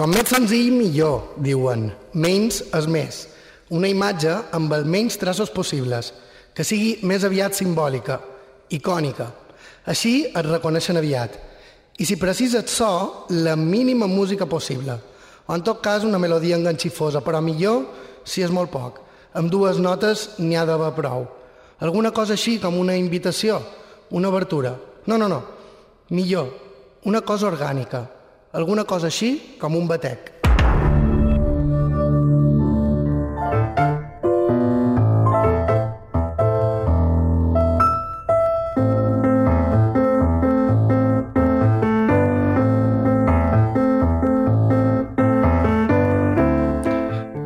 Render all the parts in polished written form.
Com més senzill, millor, diuen. Menys és més. Una imatge amb els menys traços possibles, que sigui més aviat simbòlica, icònica. Així et reconeixen aviat. I si precises so, la mínima música possible. O en tot cas una melodia enganxifosa, però millor si és molt poc. Amb 2 notes n'hi ha d'haver prou. Alguna cosa així com una invitació, una obertura. No. Millor, una cosa orgànica. Alguna cosa així com un batec.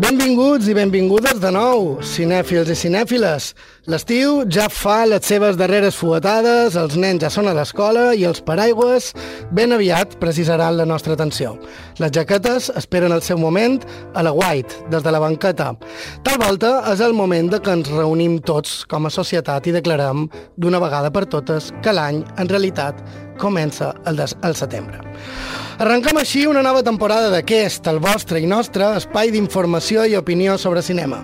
Benvinguts i benvingudes de nou, cinèfils i cinèfiles. L'estiu ja fa les seves darreres fuetades, els nens ja són a l'escola i els paraigües ben aviat precisaran la nostra atenció. Les jaquetes esperen el seu moment a la White, des de la banqueta. Tal volta és el moment de que ens reunim tots com a societat i declarem d'una vegada per totes que l'any, en realitat, comença el setembre. Arrenquem així una nova temporada d'aquest, el vostre i nostre espai d'informació i opinió sobre cinema,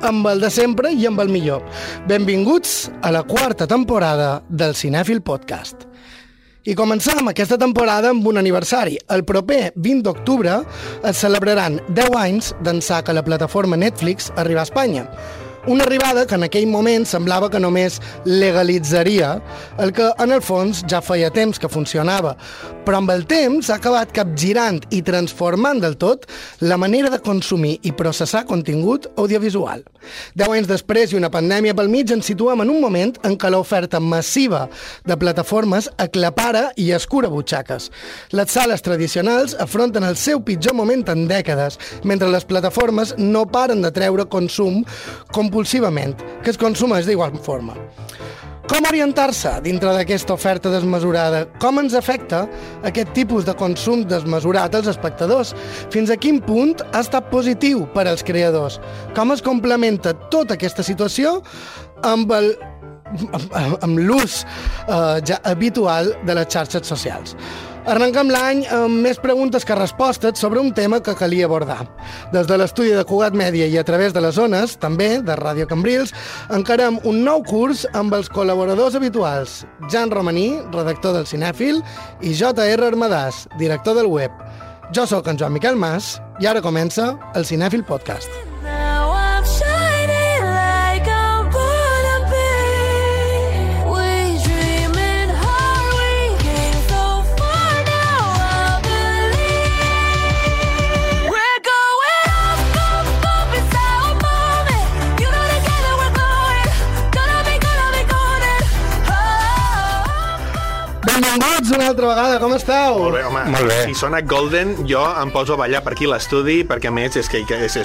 amb el de sempre i amb el millor. Benvinguts a la 4ª temporada del Cinèfil Podcast. I comencem aquesta temporada amb un aniversari. El proper 20 d'octubre es celebraran 10 anys d'ençà que la plataforma Netflix arriba a Espanya. Una arribada que en aquell moment semblava que només legalitzaria el que en el fons ja feia temps que funcionava, però amb el temps ha acabat capgirant i transformant del tot la manera de consumir i processar contingut audiovisual. 10 anys després i una pandèmia pel mig ens situem en un moment en què l'oferta massiva de plataformes aclapara i escura butxaques. Les sales tradicionals afronten el seu pitjor moment en dècades, mentre les plataformes no paren de treure consum compulsivament, que es consumeix d'igual forma. Com orientar-se dintre d'aquesta oferta desmesurada? Com ens afecta aquest tipus de consum desmesurat als espectadors? Fins a quin punt ha estat positiu per als creadors? Com es complementa tota aquesta situació amb l'ús ja habitual de les xarxes socials? Arrenquem l'any amb més preguntes que respostes sobre un tema que calia abordar. Des de l'estudi de Cugat Mèdia i a través de les zones, també, de Ràdio Cambrils, encarem un nou curs amb els col·laboradors habituals, Jan Romaní, redactor del Cinèfil, i J.R. Armadàs, director del web. Jo sóc en Joan Miquel Mas i ara comença el Cinèfil Podcast. Benvinguts una altra vegada, com esteu? Molt bé, home. Molt bé. Si sona Golden, jo em poso a ballar per aquí a l'estudi, perquè a més és que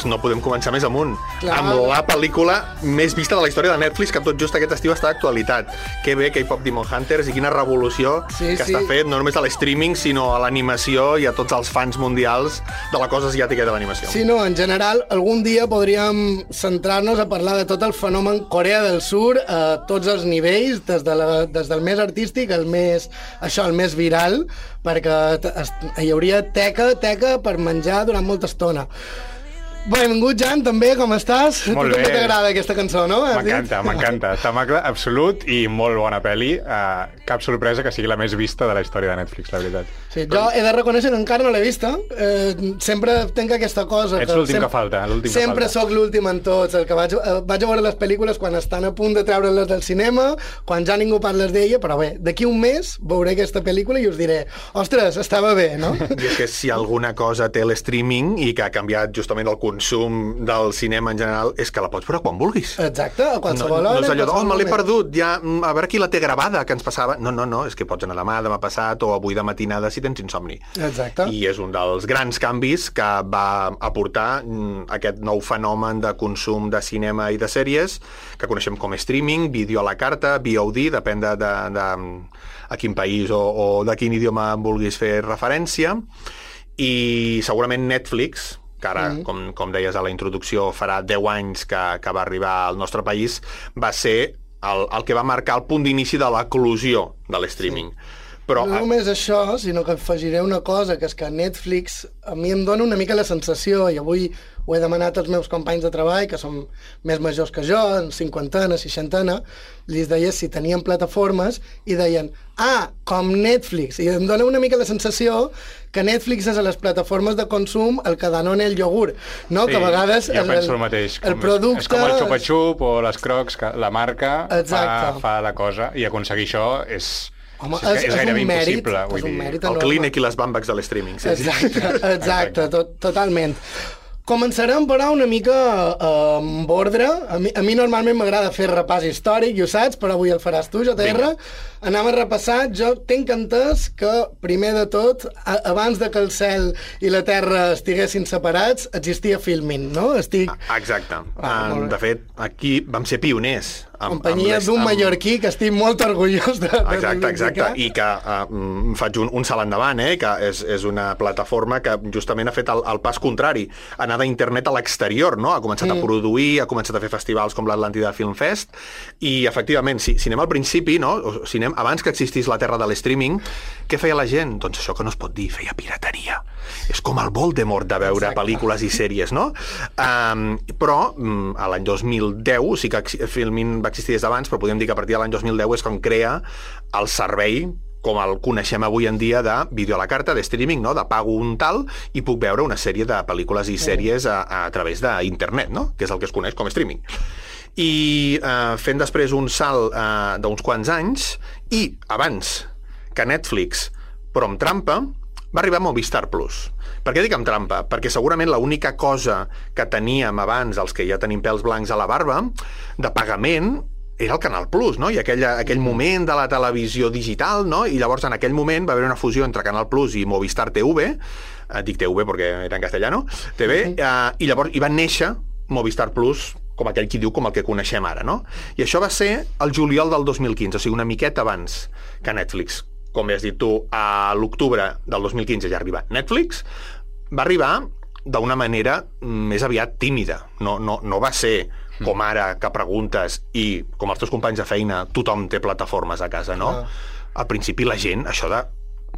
no podem començar més amunt. Clar. Amb la pel·lícula més vista de la història de Netflix, que tot just aquest estiu està d'actualitat. Que bé, K-Pop Demon Hunters, i quina revolució que està fet, no només a l'streaming, sinó a l'animació i a tots els fans mundials de la cosa asiàtica i de l'animació. Sí, no, en general, algun dia podríem centrar-nos a parlar de tot el fenomen Corea del Sur a tots els nivells, des del més artístic al més viral, perquè hi hauria teca per menjar durant molta estona. Benvingut, Jan, també, com estàs? Molt bé. També t'agrada aquesta cançó, no? M'encanta. Tamacle absolut i molt bona pel·li. Cap sorpresa que sigui la més vista de la història de Netflix, la veritat. Sí, jo he de reconèixer que encara no l'he vista. Sempre tenc aquesta cosa. Ets l'últim que falta. Sempre sóc l'últim en tots. El que vaig a veure les pel·lícules quan estan a punt de treure-les del cinema, quan ja ningú parles d'ella, però bé, d'aquí un mes veuré aquesta pel·lícula i us diré, ostres, estava bé, no? I és que si alguna cosa té l'streaming i que ha canviat justament el consum del cinema en general, és que la pots veure quan vulguis. Exacte, a qualsevol hora. No és allò me l'he perdut, ja, a veure qui la té gravada, que ens passava. No, és que pots anar demà passat o avui de matinada si tens insomni. Exacte. I és un dels grans canvis que va aportar aquest nou fenomen de consum de cinema i de sèries, que coneixem com streaming, vídeo a la carta, VOD, depèn de a quin país o de quin idioma vulguis fer referència. I segurament Netflix, que ara, com deies a la introducció, farà 10 anys que va arribar al nostre país, va ser el que va marcar el punt d'inici de l'eclosió de l'streaming. Però, no només això, sinó que afegiré una cosa, que és que Netflix a mi em dona una mica la sensació, i avui ho he demanat als meus companys de treball, que són més majors que jo, en 50, 60, li deia si tenien plataformes, i deien, com Netflix. I em dona una mica la sensació que Netflix és a les plataformes de consum el que Danone el iogurt, no? Sí, que a vegades jo penso el mateix. El producte... És com el xupa-xup o les crocs, que la marca fa la cosa, i aconseguir això és... Home, és gairebé impossible. És un mèrit el Kleenex i les Bambacs de l'streaming. Sí, exacte, totalment. Començarem, però, una mica amb ordre. A mi normalment m'agrada fer repàs històric, i ho saps, però avui el faràs tu, JR. Anem a repassar. Jo tinc entès que, primer de tot, abans de que el cel i la terra estiguessin separats, existia Filmin, no? Exacte. De fet, aquí vam ser pioners. Companyia d'un mallorquí que estic molt orgullós de Exacte. I que faig un salt endavant, que és una plataforma que justament ha fet el pas contrari, anar d'internet a l'exterior, no? Ha començat a produir, ha començat a fer festivals com l'Atlàntida Film Fest, i efectivament, si anem al principi, no? O si anem abans que existís la terra de l'streaming, què feia la gent? Doncs això que no es pot dir, feia pirateria. És com el Voldemort de veure pel·lícules i sèries, no? Però a l'any 2010, sí que Filmin va existir des d'abans, però podríem dir que a partir de l'any 2010 és quan crea el servei com el coneixem avui en dia de vídeo a la carta, de streaming, no? De pago un tal i puc veure una sèrie de pel·lícules i sèries a través d'internet, no? Que és el que es coneix com streaming. I fent després un salt d'uns quants anys, i abans que Netflix, però amb trampa, va arribar a Movistar Plus. Per què dic amb trampa? Perquè segurament l'única cosa que teníem abans, els que ja tenim pèls blancs a la barba, de pagament, era el Canal Plus, no? I aquell moment de la televisió digital, no? I llavors en aquell moment va haver una fusió entre Canal Plus i Movistar TV, dic TV perquè era en castellano, TV, i llavors hi va néixer Movistar Plus, com aquell qui diu, com el que coneixem ara, no? I això va ser el juliol del 2015, o sigui, una miqueta abans que Netflix. Com has dit tu, a l'octubre del 2015 ja arriba Netflix, va arribar d'una manera més aviat tímida. No va ser com ara que preguntes i, com els teus companys de feina, tothom té plataformes a casa, no? Al principi la gent, això de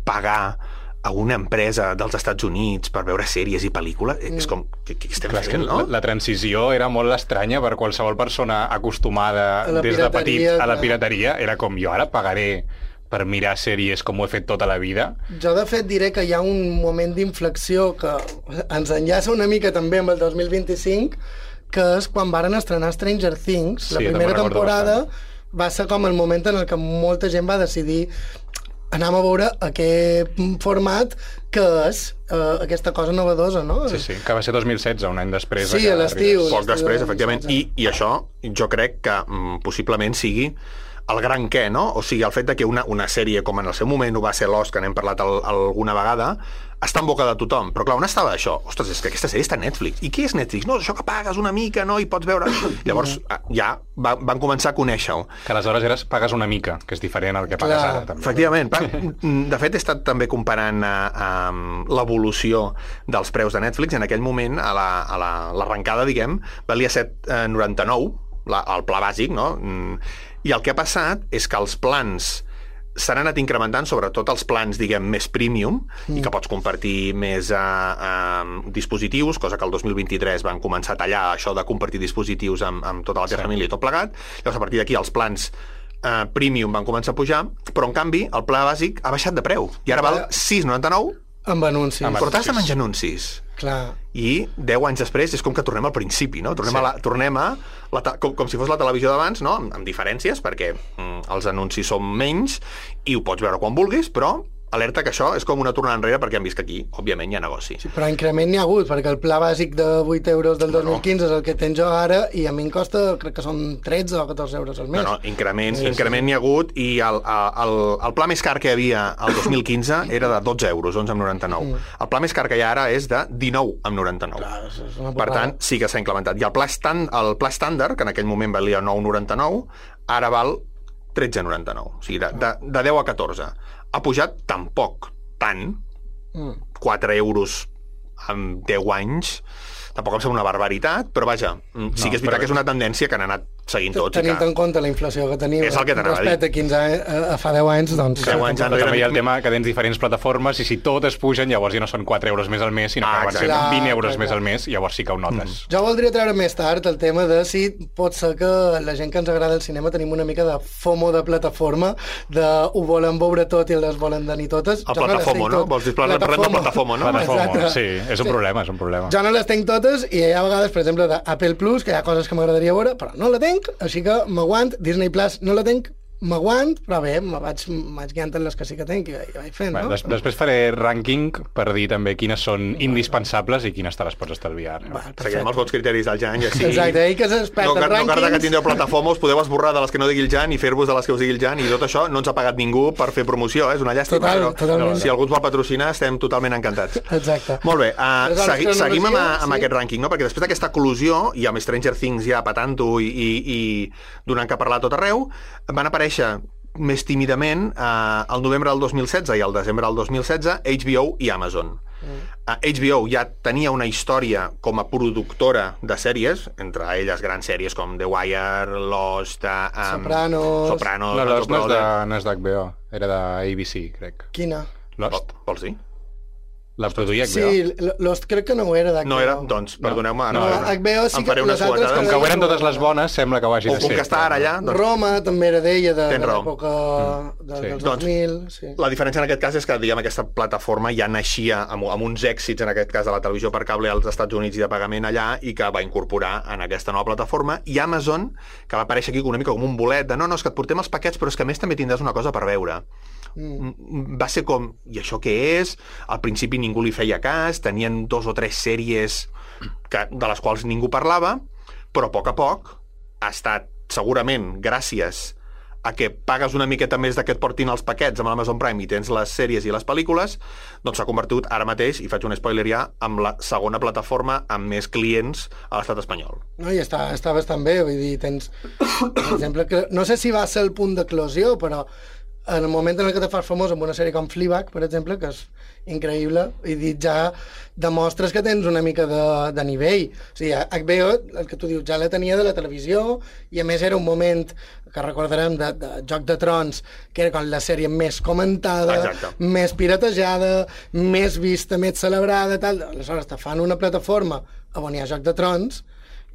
pagar a una empresa dels Estats Units per veure sèries i pel·lícules, és com, què estem fent, no? La transició era molt estranya per qualsevol persona acostumada des de petit a la pirateria. Era com, jo ara pagaré per mirar sèries com ho he fet tota la vida. Jo, de fet, diré que hi ha un moment d'inflexió que ens enllaça una mica també amb el 2025, que és quan varen estrenar Stranger Things. La primera temporada va ser com el moment en el que molta gent va decidir anem a veure aquest format que és aquesta cosa novedosa, no? Sí, que va ser 2016, un any després. Sí, a l'estiu. Poc després, efectivament. I això jo crec que possiblement sigui el gran què, no? O sigui, el fet de que una sèrie, com en el seu moment ho va ser Lost, que n'hem parlat alguna vegada, està en boca de tothom. Però clar, on estava això? Ostres, és que aquesta sèrie està a Netflix. I què és Netflix? No, això que pagues una mica, no? I pots veure... Llavors, ja van començar a conèixer-ho. Que aleshores pagues una mica, que és diferent al que pagues ara, també. Efectivament. De fet, he estat també comparant l'evolució dels preus de Netflix. En aquell moment, a l'arrencada, diguem, valia 7,99, el pla bàsic, no? I el que ha passat és que els plans s'han anat incrementant, sobretot els plans, diguem, més premium, i que pots compartir més dispositius, cosa que el 2023 van començar a tallar això de compartir dispositius amb tota la teva família i tot plegat. Llavors, a partir d'aquí, els plans premium van començar a pujar, però, en canvi, el pla bàsic ha baixat de preu. I ara val 6,99 amb anuncis. Però t'has de menjar anuncis. Clar. I 10 anys després és com que tornem al principi, no? Tornem com si fos la televisió d'abans, no? Amb diferències, perquè els anuncis són menys i ho pots veure quan vulguis, però alerta que això és com una tornada enrere perquè han vist que aquí, òbviament, hi ha negoci. Sí, però increment n'hi ha hagut, perquè el pla bàsic de 8 euros del 2015 és el que tens jo ara i a mi em costa, crec que són 13 o 14 euros al mes. No, increment n'hi ha hagut i el pla més car que hi havia el 2015 era de 12 euros, 11,99. El pla més car que hi ha ara és de 19,99. Clar, per tant, sí que s'ha incrementat. I el pla estàndard, que en aquell moment valia 9,99, ara val 13,99. O sigui, de 10 a 14. Ha pujat tampoc tant, 4 euros en 10 anys, tampoc em sembla una barbaritat, però vaja, sí que és veritat que és una tendència que han anat seguint tots. Tenint en compte la inflació que tenim respecte a 15 anys, a fa 10 anys, doncs... 10 anys també hi ha el tema que tens diferents plataformes i si totes pugen, llavors ja no són 4 euros més al mes, sinó que acaben sent 20 euros més al mes, llavors sí que ho notes. Jo voldria treure més tard el tema de si pot ser que la gent que ens agrada el cinema tenim una mica de FOMO de plataforma, de ho volen veure tot i les volen tenir totes. El platafomo, no? Vols dir platafomo, no? Platafomo, sí, és un problema, és un problema. Jo no les tenc totes i hi ha vegades, per exemple, d'Apple Plus, que hi ha coses que m'agradaria veure, però no la tenc, així que m'aguant. Disney Plus no la tenc, m'aguant, però bé, me vaig guiant en les que sí que tenc i vaig fent, no? Després faré rànquing per dir també quines són indispensables i quines te les pots estalviar. Seguirem els vots criteris del Jan i així... Exacte, ell que s'expert en rànquings... No cal que tindreu plataforma, us podeu esborrar de les que no digui el Jan i fer-vos de les que us digui el Jan, i tot això no ens ha pagat ningú per fer promoció, és una llàstima. Totalment. Si algú ens vol patrocinar, estem totalment encantats. Exacte. Molt bé, seguim amb aquest rànquing, no? Perquè després d'aquesta eclosió, i amb Stranger Things ja patant-ho i donant que parlar a tot arreu, van aparèixer més tímidament al novembre del 2016 i al desembre del 2016 HBO i Amazon. HBO ja tenia una història com a productora de sèries, entre elles grans sèries com The Wire, Lost, Sopranos... No, Lost no és d'HBO, era d'ABC, crec. Quina? Lost. Vols dir? La produïa HBO. Sí, Lost crec que no ho era d'HBO. No era? Doncs, perdoneu-me. No, HBO sí que les altres... Com que ho eren totes les bones, sembla que ho hagi de ser. O com que està ara allà... Roma també era d'ella, de l'època dels 2000. La diferència en aquest cas és que, diguem, aquesta plataforma ja naixia amb uns èxits, en aquest cas de la televisió per cable als Estats Units i de pagament allà, i que va incorporar en aquesta nova plataforma. I Amazon, que va aparèixer aquí una mica com un bolet de no, és que et portem els paquets, però és que a més també tindràs una cosa per veure. Va ser com, i això què és? Al principi ningú li feia cas, tenien 2 o 3 sèries de les quals ningú parlava, però a poc ha estat segurament gràcies a que pagues una miqueta més que et portin els paquets amb l'Amazon Prime i tens les sèries i les pel·lícules, doncs s'ha convertit ara mateix, i faig un spoiler ja, en la segona plataforma amb més clients a l'estat espanyol. No, i està bastant bé, vull dir, tens, per exemple, que no sé si va ser el punt d'eclosió, però en el moment en què te fas famós amb una sèrie com Fleabag, per exemple, que és increïble, i ja demostres que tens una mica de nivell. O sigui, HBO, el que tu dius, ja la tenia de la televisió, i a més era un moment que recordarem de Joc de Trons, que era com la sèrie més comentada, més piratejada, més vista, més celebrada, tal. Aleshores te fan una plataforma on hi ha Joc de Trons,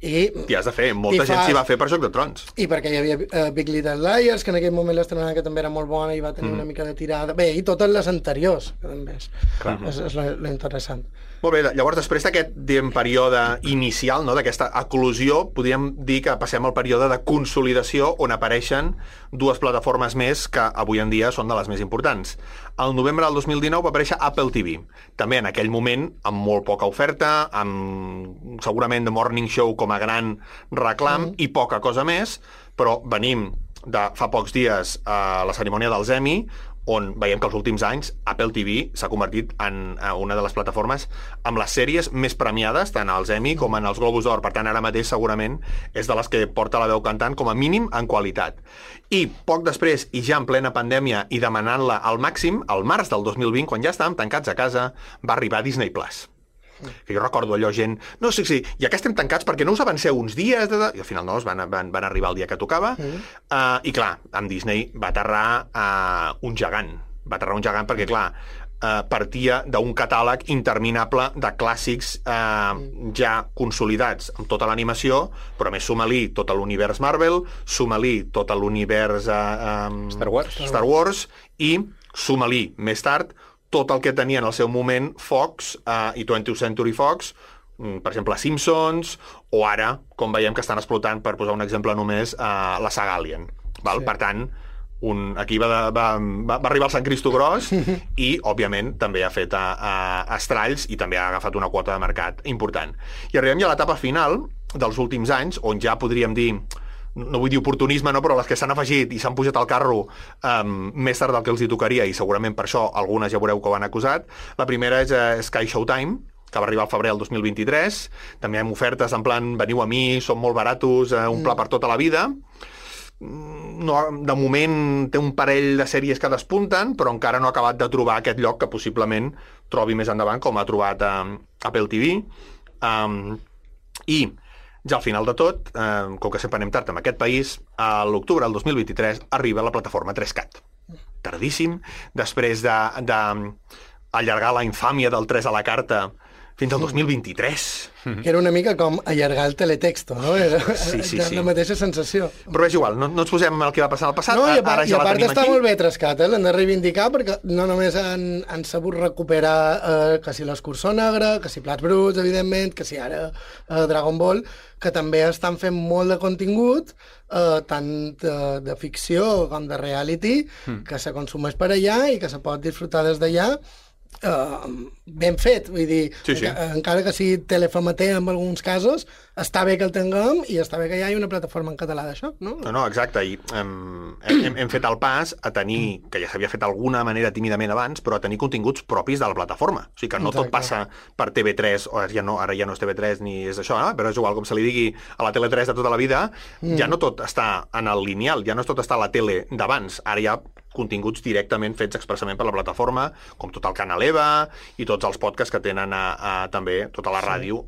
i has de fer, molta gent s'hi va fer per Joc de Trons. I perquè hi havia Big Little Liars, que en aquell moment l'estrenava, que també era molt bona i va tenir una mica de tirada. Bé, i totes les anteriors, que també és lo interessant. Molt bé, llavors després d'aquest període inicial, no, d'aquesta eclosió, podríem dir que passem al període de consolidació on apareixen 2 plataformes més que avui en dia són de les més importants. Al novembre del 2019 va aparèixer Apple TV, també en aquell moment amb molt poca oferta, amb segurament The Morning Show com a gran reclam i poca cosa més, però venim de fa pocs dies a la cerimònia dels Emmy, on veiem que els últims anys Apple TV s'ha convertit en una de les plataformes amb les sèries més premiades, tant als Emmy com en els Globus d'Or. Per tant, ara mateix segurament és de les que porta la veu cantant com a mínim en qualitat. I poc després, i ja en plena pandèmia i demanant-la al màxim, al març del 2020, quan ja estàvem tancats a casa, va arribar Disney Plus. Que jo recordo allò, gent, no, sí, i acá estem tancats perquè no us avanceu uns dies, i al final no, van arribar el dia que tocava, i clar, amb Disney va aterrar un gegant perquè, clar, partia d'un catàleg interminable de clàssics ja consolidats amb tota l'animació, però a més suma-li tot l'univers Marvel, suma-li tot l'univers Star Wars i suma-li més tard tot el que tenia en el seu moment Fox i 20th Century Fox, per exemple, Simpsons, o ara, com veiem que estan explotant, per posar un exemple només, la saga Alien. Val? Sí. Per tant, aquí va arribar el Sant Cristo Gros i, òbviament, també ha fet estralls i també ha agafat una quota de mercat important. I arribem ja a l'etapa final dels últims anys, on ja podríem dir, no vull dir oportunisme, no, però les que s'han afegit i s'han pujat al carro més tard del que els hi tocaria, i segurament per això algunes ja veureu que ho han acusat. La primera és Sky Showtime, que va arribar al febrer del 2023. També hem ofertes en plan, veniu a mi, som molt baratos, un pla per tota la vida. No, de moment té un parell de sèries que despunten, però encara no ha acabat de trobar aquest lloc que possiblement trobi més endavant, com ha trobat Apple TV. I Ja al final de tot, com que sempre anem tard en aquest país, a l'octubre del 2023 arriba la plataforma 3CAT. Tardíssim, després d'allargar la infàmia del 3 a la carta fins al 2023. Que era una mica com allargar el teletexto, no? Era Sí. la mateixa sensació. Però és igual, no ens posem el que va passar al passat, No, i a ara ja la part tenim està aquí. molt bé 3CAT, l'han de reivindicar perquè no només han sabut recuperar que si l'Escurçó Negre, que si Plats Bruts, evidentment, que si ara Dragon Ball, que també estan fent molt de contingut, tant de ficció com de reality, que se consumeix per allà i que se pot disfrutar des d'allà, ben fet, vull dir, Sí. encara que sigui telefamater en alguns casos, està bé que el tinguem i està bé que hi hagi una plataforma en català d'això, no? No, exacte, i hem fet el pas a tenir, que ja s'havia fet d'alguna manera tímidament abans, però a tenir continguts propis de la plataforma. O sigui que no tot passa per TV3, o ara ja no és TV3 ni és això, però és igual, com se li digui a la Tele3 de tota la vida, ja no tot està en el lineal, ja no tot està a la tele d'abans, ara hi ha continguts directament fets expressament per la plataforma, com tot el Canal EVA i tots els podcasts que tenen també tota la ràdio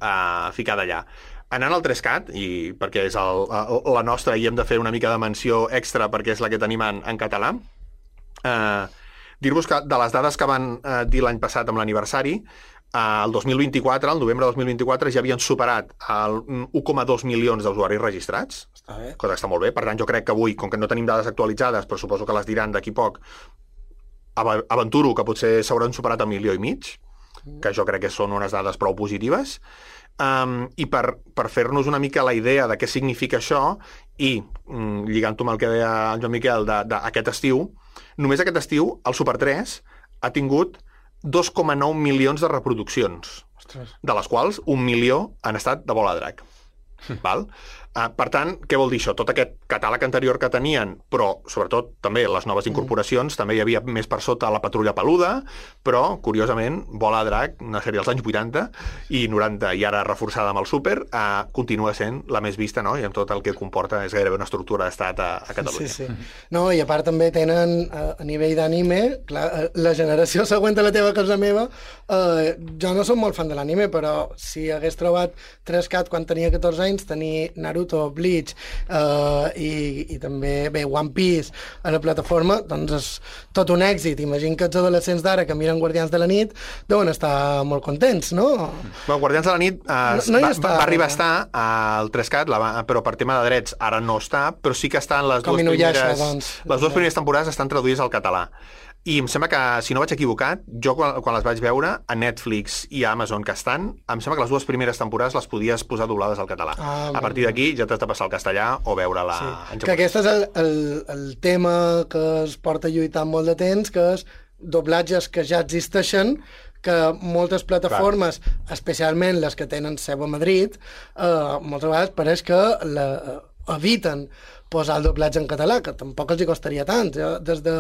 ficada allà. Anant al 3CAT, i perquè és la nostra i hem de fer una mica de menció extra perquè és la que tenim en català, dir-vos que de les dades que van dir l'any passat amb l'aniversari, el 2024, el novembre del 2024, ja havien superat el 1,2 milions d'usuaris registrats, cosa que està molt bé. Per tant, jo crec que avui, com que no tenim dades actualitzades, però suposo que les diran d'aquí poc, aventuro que potser s'hauran superat 1,5 milions, que jo crec que són unes dades prou positives. I per fer-nos una mica la idea de què significa això, i lligant-ho amb el que deia en Joan Miquel d'aquest estiu, només aquest estiu el Super 3 ha tingut 2,9 milions de reproduccions, de les quals 1 milió han estat de Vol a Drac. Val? Per tant, què vol dir això? Tot aquest catàleg anterior que tenien, però sobretot també les noves incorporacions, també hi havia més per sota la Patrulla Peluda, però, curiosament, Vol a Drac, una sèrie dels anys 80 i 90, i ara reforçada amb el Súper, continua sent la més vista, no? I amb tot el que comporta és gairebé una estructura d'estat a Catalunya. Sí. No, i a part també tenen, a nivell d'anime, la generació següent a la teva que és la meva, jo no soc molt fan de l'anime, però si hagués trobat 3CAT quan tenia 14 anys, tenir Naruto, Bleach i també One Piece a la plataforma, doncs és tot un èxit. Imagino que els adolescents d'ara que miren Guardians de la Nit deuen estar molt contents, no? Bueno, Guardians de la Nit va arribar a estar al 3CAT, però per tema de drets ara no està, però sí que estan les dues primeres temporades estan traduïdes al català. I em sembla que, si no vaig equivocat, jo quan les vaig veure a Netflix i a Amazon que estan, em sembla que les dues primeres temporades les podies posar doblades al català. A partir d'aquí ja t'has de passar al castellà o veure-la en japonès. Que aquest és el tema que es porta lluitant molt de temps, que és doblatges que ja existeixen, que moltes plataformes, especialment les que tenen seu a Madrid, moltes vegades pareix que eviten posar el doblatge en català, que tampoc els hi costaria tant. Des de,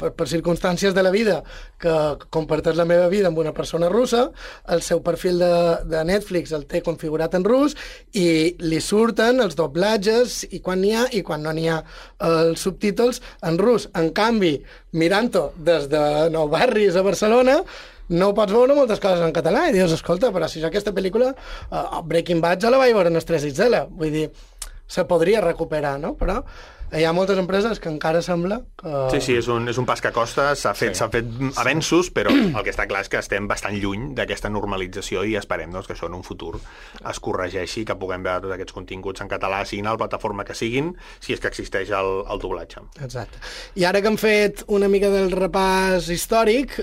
per circumstàncies de la vida, que comparteix la meva vida amb una persona russa, el seu perfil de Netflix el té configurat en rus i li surten els doblatges i quan n'hi ha i quan no n'hi ha els subtítols en rus. En canvi, mirant-ho des de Nou Barris a Barcelona, no pots veure moltes coses en català i dius, escolta, però si jo aquesta pel·lícula Breaking Bad ja la vaig veure en els 3XL, vull dir, se podria recuperar, no? Però hi ha moltes empreses que encara sembla que... Sí, és un pas que costa, s'ha fet avenços, però el que està clar és que estem bastant lluny d'aquesta normalització i esperem que això en un futur es corregeixi, que puguem veure tots aquests continguts en català, siguin a la plataforma que siguin, si és que existeix el doblatge. Exacte. I ara que hem fet una mica del repàs històric,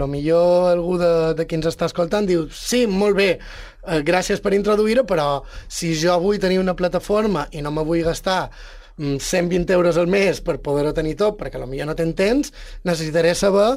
millor algú de qui ens està escoltant diu, sí, molt bé, gràcies per introduir-ho, però si jo vull tenir una plataforma i no me vull gastar 120 euros al mes per poder-ho tenir tot, perquè potser no tens temps, necessitaré saber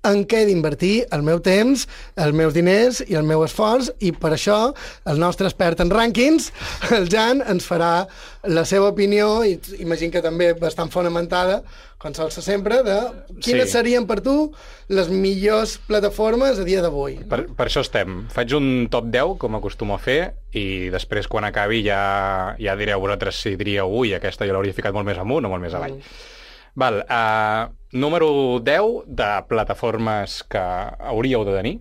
en què d'invertir el meu temps, els meus diners i el meu esforç, i per això el nostre expert en rànquings, el Jan, ens farà la seva opinió, i imagino que també bastant fonamentada, com sol ser sempre, de quines serien per tu les millors plataformes a dia d'avui. Per això estem. Faig un top 10, com acostumo a fer, i després, quan acabi, ja direu vosaltres si diríeu, ui, aquesta jo l'hauria ficat molt més amunt o molt més avall. Val, número 10 de plataformes que hauríeu de tenir.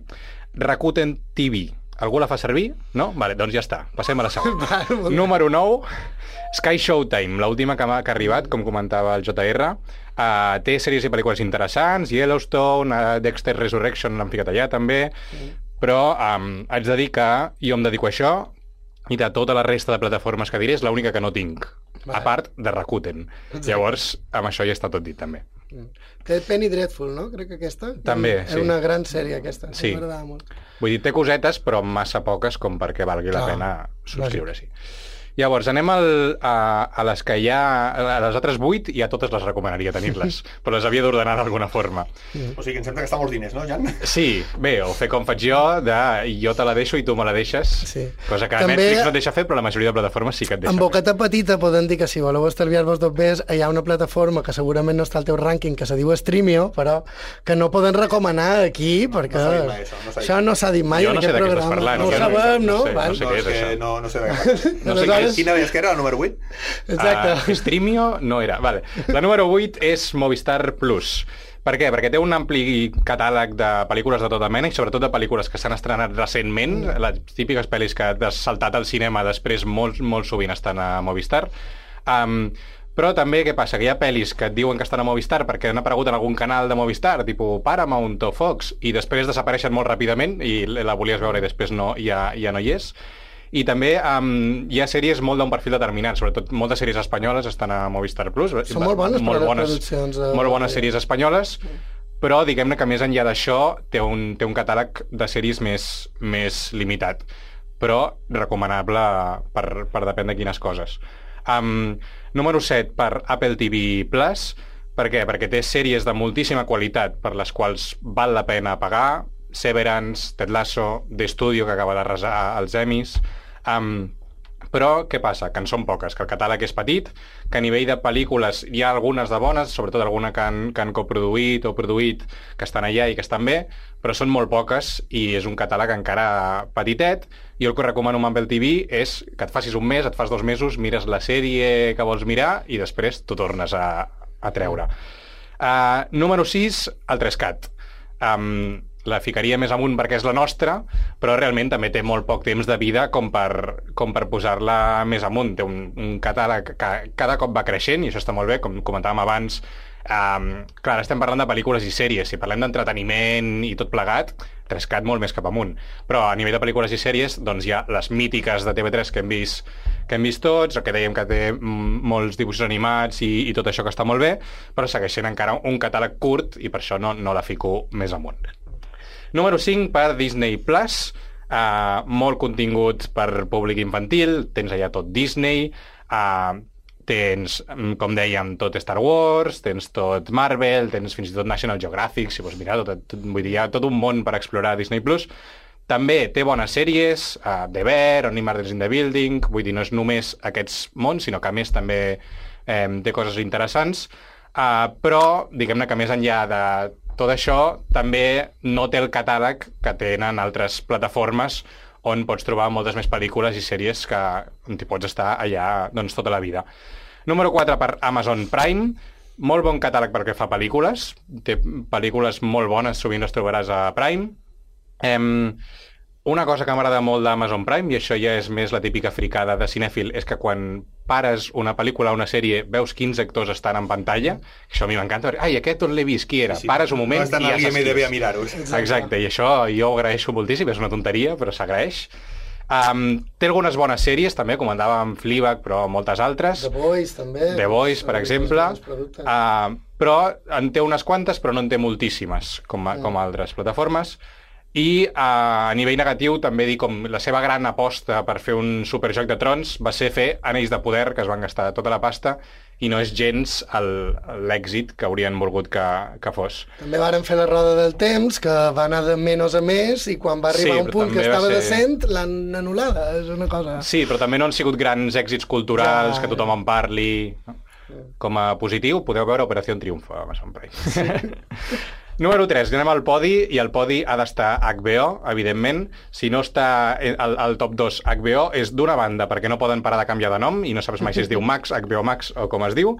Rakuten TV. Algú la fa servir? No? Vale, doncs ja està. Passem a la segona. Número 9, Sky Showtime, l'última que ha arribat, com comentava el JR. Té sèries i pel·lícules interessants, Yellowstone, Dexter Resurrection l'han ficat allà també, però haig de dir que jo em dedico a això i de tota la resta de plataformes que diré és l'única que no tinc, a part de Rakuten. Llavors, amb això ja està tot dit també. Té Penny Dreadful, no? Crec que aquesta. També, sí. Era una gran sèrie, aquesta. Sí. M'agradava molt. Vull dir, té cosetes, però massa poques com perquè valgui la pena subscriure-s'hi. Llavors, anem a les que hi ha... A les altres 8 ja totes les recomanaria tenir-les, però les havia d'ordenar d'alguna forma. O sigui, em sembla que està molts diners, no, Jan? Sí, bé, o fer com faig jo, jo te la deixo i tu me la deixes, cosa que També, Netflix no et deixa fer, però la majoria de plataformes sí que et deixa fer. En boqueta fer. petita podem dir que si voleu estalviar-vos dos més, hi ha una plataforma que segurament no està al teu rànquing, que se diu Streamio, però que no poden recomanar aquí, perquè això no s'ha dit mai en aquest programa. Jo no sé de què estàs parlant. No ho sabem, no? No sé què és això. No sé de què. No sé quina és que era, la número 8? Exacte. Streamio no era. Vale. La número 8 és Movistar Plus. Per què? Perquè té un ampli catàleg de pel·lícules de tota mena i sobretot de pel·lícules que s'han estrenat recentment, les típiques pel·lis que has saltat al cinema després molt sovint estan a Movistar. Però també què passa? Que hi ha pel·lis que et diuen que estan a Movistar perquè han aparegut en algun canal de Movistar, tipus Paramount o Fox, i després desapareixen molt ràpidament i la volies veure i després ja no hi és. I també hi ha sèries molt d'un perfil determinat, sobretot moltes sèries espanyoles estan a Movistar Plus. Són molt bones produccions. Molt bones sèries espanyoles, però diguem-ne que més enllà d'això té un catàleg de sèries més limitat, però recomanable per depèn de quines coses. Número 7 per Apple TV Plus. Per què? Perquè té sèries de moltíssima qualitat per les quals val la pena pagar. Severance, Ted Lasso, The Studio, que acaba d'arrasar els Emmys. Però què passa? Que en són poques, que el catàleg és petit, que a nivell de pel·lícules hi ha algunes de bones, sobretot alguna que han coproduït o produït, que estan allà i que estan bé, però són molt poques i és un catàleg encara petitet. I el que recomano amb Apple TV és que et facis un mes, et fas 2 mesos, mires la sèrie que vols mirar i després t'ho tornes a treure. Número 6, el 3CAT. La ficaria més amunt perquè és la nostra, però realment també té molt poc temps de vida com per posar-la més amunt. Té un catàleg que cada cop va creixent, i això està molt bé, com comentàvem abans. Clar, estem parlant de pel·lícules i sèries. Si parlem d'entreteniment i tot plegat, 3CAT molt més cap amunt. Però a nivell de pel·lícules i sèries, doncs hi ha les mítiques de TV3 que hem vist tots, o que dèiem que té molts dibuixos animats i tot això que està molt bé, però segueix sent encara un catàleg curt i per això no la fico més amunt. Número 5 per Disney Plus, molt contingut per públic infantil, tens allà tot Disney, tens, com dèiem, tot Star Wars, tens tot Marvel, tens fins i tot National Geographic, si vols mirar, vull dir, hi ha tot un món per explorar Disney Plus. També té bones sèries, The Bear, Only Murders in the Building, vull dir, no és només aquests mons, sinó que a més també té coses interessants, però diguem-ne que més enllà de tot això també no té el catàleg que tenen altres plataformes on pots trobar moltes més pel·lícules i sèries on t'hi pots estar allà doncs, tota la vida. Número 4 per Amazon Prime. Molt bon catàleg perquè fa pel·lícules. Té pel·lícules molt bones, sovint les trobaràs a Prime. Una cosa que m'agrada molt d'Amazon Prime, i això ja és més la típica fricada de cinèfil, és que quan pares una pel·lícula o una sèrie, veus quins actors estan en pantalla, això a mi m'encanta. Ai, aquest on l'he vist, qui era? Sí, pares un moment i ja saps qui és. A mirar-ho. Exacte, i això jo ho agraeixo moltíssim, és una tonteria, però s'agraeix. Té algunes bones sèries, també, comentàvem Fleabag, però moltes altres. The Boys, també. The Boys, per exemple. Però en té unes quantes, però no en té moltíssimes, com altres plataformes. I a nivell negatiu també dir com la seva gran aposta per fer un superjoc de trons va ser fer Anells de Poder, que es van gastar tota la pasta, i no és gens l'èxit que haurien volgut que fos. També varen fer la roda del temps, que va anar de menys a més, i quan va arribar un punt que estava decent, l'han anul·lada, és una cosa... Sí, però també no han sigut grans èxits culturals, que tothom en parli. Com a positiu, podeu veure Operació Triunfo a Amazon Prime. Sí. Número 3, anem al podi, i el podi ha d'estar HBO, evidentment. Si no està al top 2 HBO, és d'una banda, perquè no poden parar de canviar de nom, i no saps mai si es diu Max, HBO Max, o com es diu.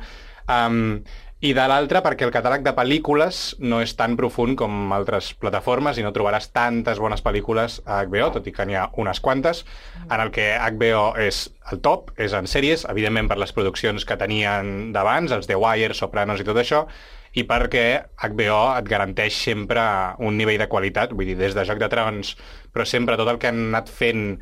i de l'altra perquè el catàleg de pel·lícules no és tan profund com altres plataformes i no trobaràs tantes bones pel·lícules a HBO, tot i que n'hi ha unes quantes, en el que HBO és el top, és en sèries, evidentment per les produccions que tenien d'abans, els The Wire, Sopranos i tot això, i perquè HBO et garanteix sempre un nivell de qualitat, vull dir, des de Joc de Trons, però sempre tot el que han anat fent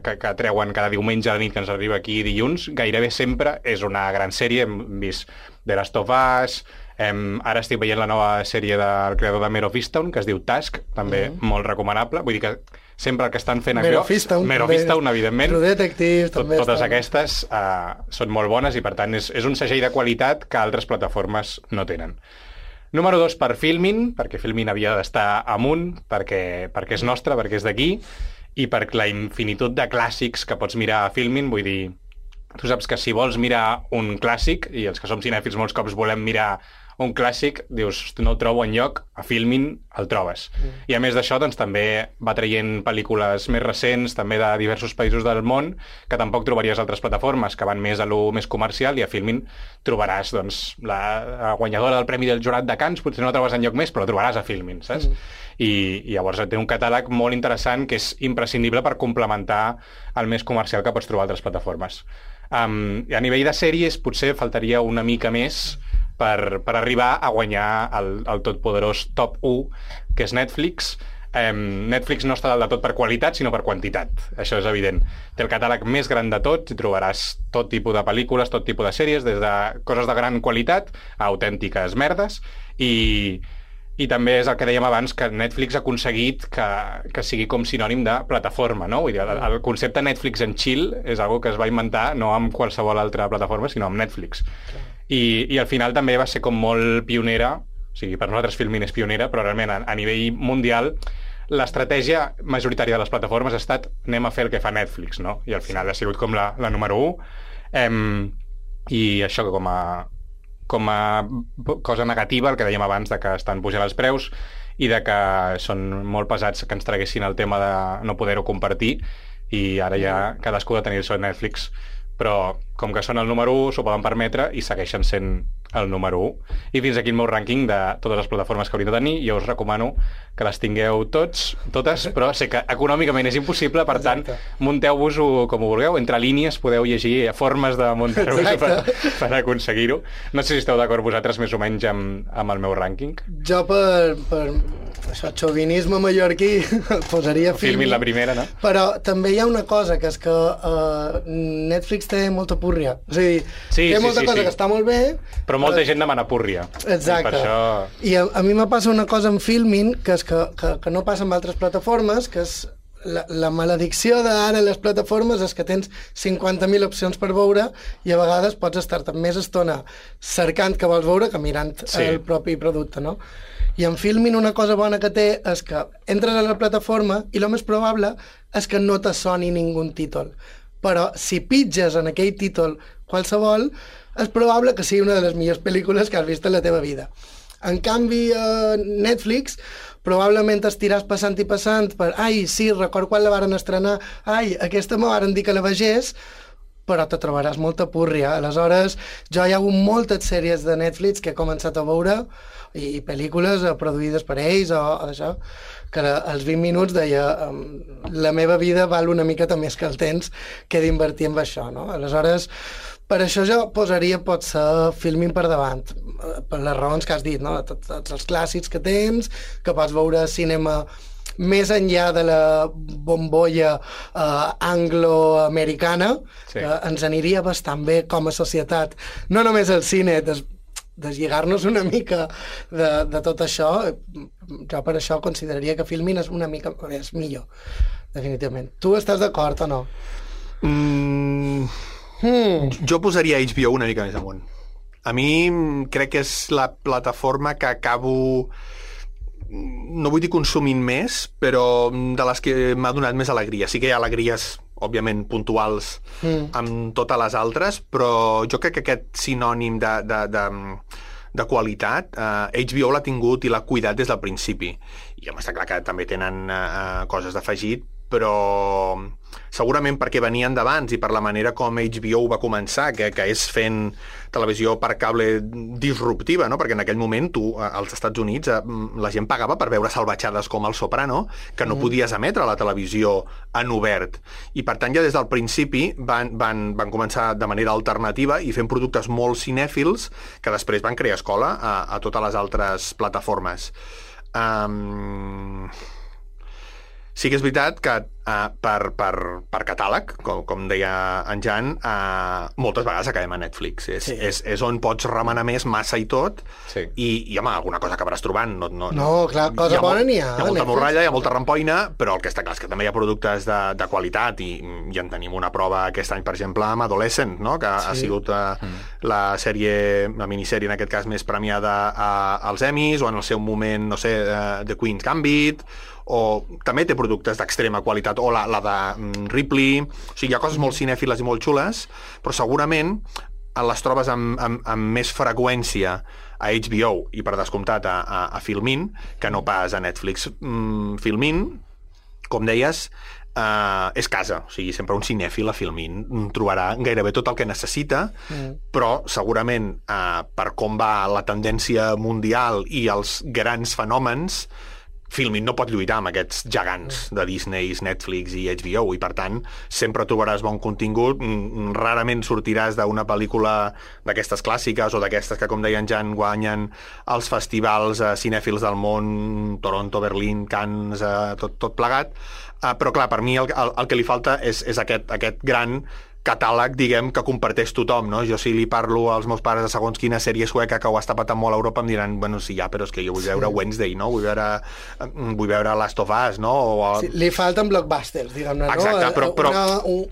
que treuen cada diumenge a la nit que ens arriba aquí dilluns, gairebé sempre és una gran sèrie. Hem vist The Last of Us, ara estic veient la nova sèrie del creador de Mare of Easttown, que es diu Task, també molt recomanable, vull dir que sempre el que estan fent Mare of Easttown, evidentment, True Detective, també totes aquestes són molt bones i per tant és un segell de qualitat que altres plataformes no tenen. Número 2 per Filmin, perquè Filmin havia d'estar amunt, perquè és nostre, perquè és d'aquí, i per la infinitud de clàssics que pots mirar a Filmin. Vull dir, tu saps que si vols mirar un clàssic, i els que som cinèfils molts cops volem mirar un clàssic, dius, no el trobo enlloc, a Filmin el trobes. I a més d'això, doncs, també va traient pel·lícules més recents, també de diversos països del món, que tampoc trobaries a altres plataformes, que van més a lo més comercial, i a Filmin trobaràs, doncs, la guanyadora del Premi del Jurat de Cannes, potser no la trobes enlloc més, però la trobaràs a Filmin, saps? I llavors té un catàleg molt interessant que és imprescindible per complementar el més comercial que pots trobar a altres plataformes. A nivell de sèries potser faltaria una mica més per arribar a guanyar el totpoderós top 1, que és Netflix. Netflix no està dalt de tot per qualitat, sinó per quantitat. Això és evident. Té el catàleg més gran de tots i trobaràs tot tipus de pel·lícules, tot tipus de sèries, des de coses de gran qualitat a autèntiques merdes, i també és el que dèiem abans, que Netflix ha aconseguit que sigui com sinònim de plataforma, no? Vull dir, el concepte Netflix and chill és algo que es va inventar no amb qualsevol altra plataforma, sinó amb Netflix. I al final també va ser com molt pionera, o sigui, per nosaltres Filmin és pionera, però realment a nivell mundial l'estratègia majoritària de les plataformes ha estat anem a fer el que fa Netflix, no? I al final ha sigut com la número 1. I això com a cosa negativa, el que dèiem abans, de que estan pujant els preus i de que són molt pesats que ens traguessin el tema de no poder-ho compartir, i ara ja cadascú ha de tenir el seu Netflix. Però com que són el número 1 s'ho poden permetre i segueixen sent el número 1. I fins aquí el meu rànquing de totes les plataformes que hauríem de tenir. Jo us recomano que les tingueu totes, però sé que econòmicament és impossible, per tant, munteu-vos-ho com ho vulgueu. Entre línies podeu llegir formes de muntar-vos per aconseguir-ho. No sé si esteu d'acord vosaltres més o menys amb el meu rànquing. Jo per això, xovinisme mallorquí, posaria Filmin la primera, no? Però també hi ha una cosa, que és que Netflix té molta púrria. O sigui, té molta cosa que està molt bé, però molta gent demana púrria. Exacte. I per això... I a mi me passa una cosa amb Filmin, que és que no passa amb altres plataformes, que és la maledicció d'ara les plataformes és que tens 50.000 opcions per veure i a vegades pots estar-te més estona cercant que vols veure que mirant el propi producte, no? I en Filmin una cosa bona que té és que entres a la plataforma i el més probable és que no te soni ningú títol. Però si pitges en aquell títol qualsevol, és probable que sigui una de les millors pel·lícules que has vist en la teva vida. En canvi, a Netflix probablement estiràs passant i passant per ai, sí, record quan la varen estrenar, ai, aquesta me varen dir que la vegés, però te trobaràs molta púrria. Aleshores, jo hi ha hagut moltes sèries de Netflix que he començat a veure i pel·lícules produïdes per ells o d'això, que als 20 minuts deia la meva vida val una miqueta més que el temps que he d'invertir en això, no? Aleshores, per això jo posaria potser Filmin per davant, per les raons que has dit, no? Tots els clàssics que tens, que pots veure cinema més enllà de la bombolla anglo-americana, que ens aniria bastant bé com a societat, no només el cine, deslligar-nos una mica de tot això. Jo per això consideraria que Filmin és una mica més millor, definitivament. Tu estàs d'acord o no? Jo posaria HBO una mica més amunt. A mi crec que és la plataforma que acabo, no vull dir consumint més, però de les que m'ha donat més alegria. Sí que hi ha alegries, òbviament, puntuals amb totes les altres, però jo crec que aquest sinònim de qualitat, HBO l'ha tingut i l'ha cuidat des del principi. I home, està clar que també tenen coses d'afegit, però segurament perquè venien d'abans i per la manera com HBO va començar, que és fent televisió per cable disruptiva, no? Perquè en aquell moment tu, als Estats Units, la gent pagava per veure salvatjades com El Soprano, que no podies emetre a la televisió en obert. I per tant, ja des del principi van començar de manera alternativa i fent productes molt cinèfils que després van crear escola a totes les altres plataformes. Sí que és veritat que per catàleg, com deia en Jan, moltes vegades acabem a Netflix. És on pots remenar més massa i tot, i home, alguna cosa acabaràs trobant. No, clar, cosa bona n'hi ha. Hi ha molta morralla, hi ha molta rampoina, però el que està clar és que també hi ha productes de qualitat, i en tenim una prova aquest any, per exemple, amb Adolescent, no? Que ha sigut la minissèrie, en aquest cas, més premiada als Emmys, o en el seu moment, no sé, The Queen's Gambit, o també té productes d'extrema qualitat, o la de Ripley. O sigui, hi ha coses molt cinèfiles i molt xules, però segurament les trobes amb més freqüència a HBO i, per descomptat, a Filmin, que no pas a Netflix. Filmin, com deies, és casa. O sigui, sempre un cinèfil a Filmin trobarà gairebé tot el que necessita, però segurament per com va la tendència mundial i els grans fenòmens, Filmin no pot lluitar amb aquests gegants de Disney, Netflix i HBO, i per tant sempre trobaràs bon contingut. Rarament sortiràs d'una pel·lícula d'aquestes clàssiques o d'aquestes que, com deien Jan, guanyen els festivals cinèfils del món, Toronto, Berlín, Cannes, tot plegat. Però clar, per mi el que li falta és aquest gran catàleg, diguem, que comparteix tothom, no? Jo, si li parlo als meus pares de segons quina sèrie sueca que ho està patant molt a Europa, em diran, bueno, sí, ja, però és que jo vull veure Wednesday, no? Vull veure Last of Us, no? Sí, li falten blockbusters, diguem-ne, no? Exacte, però...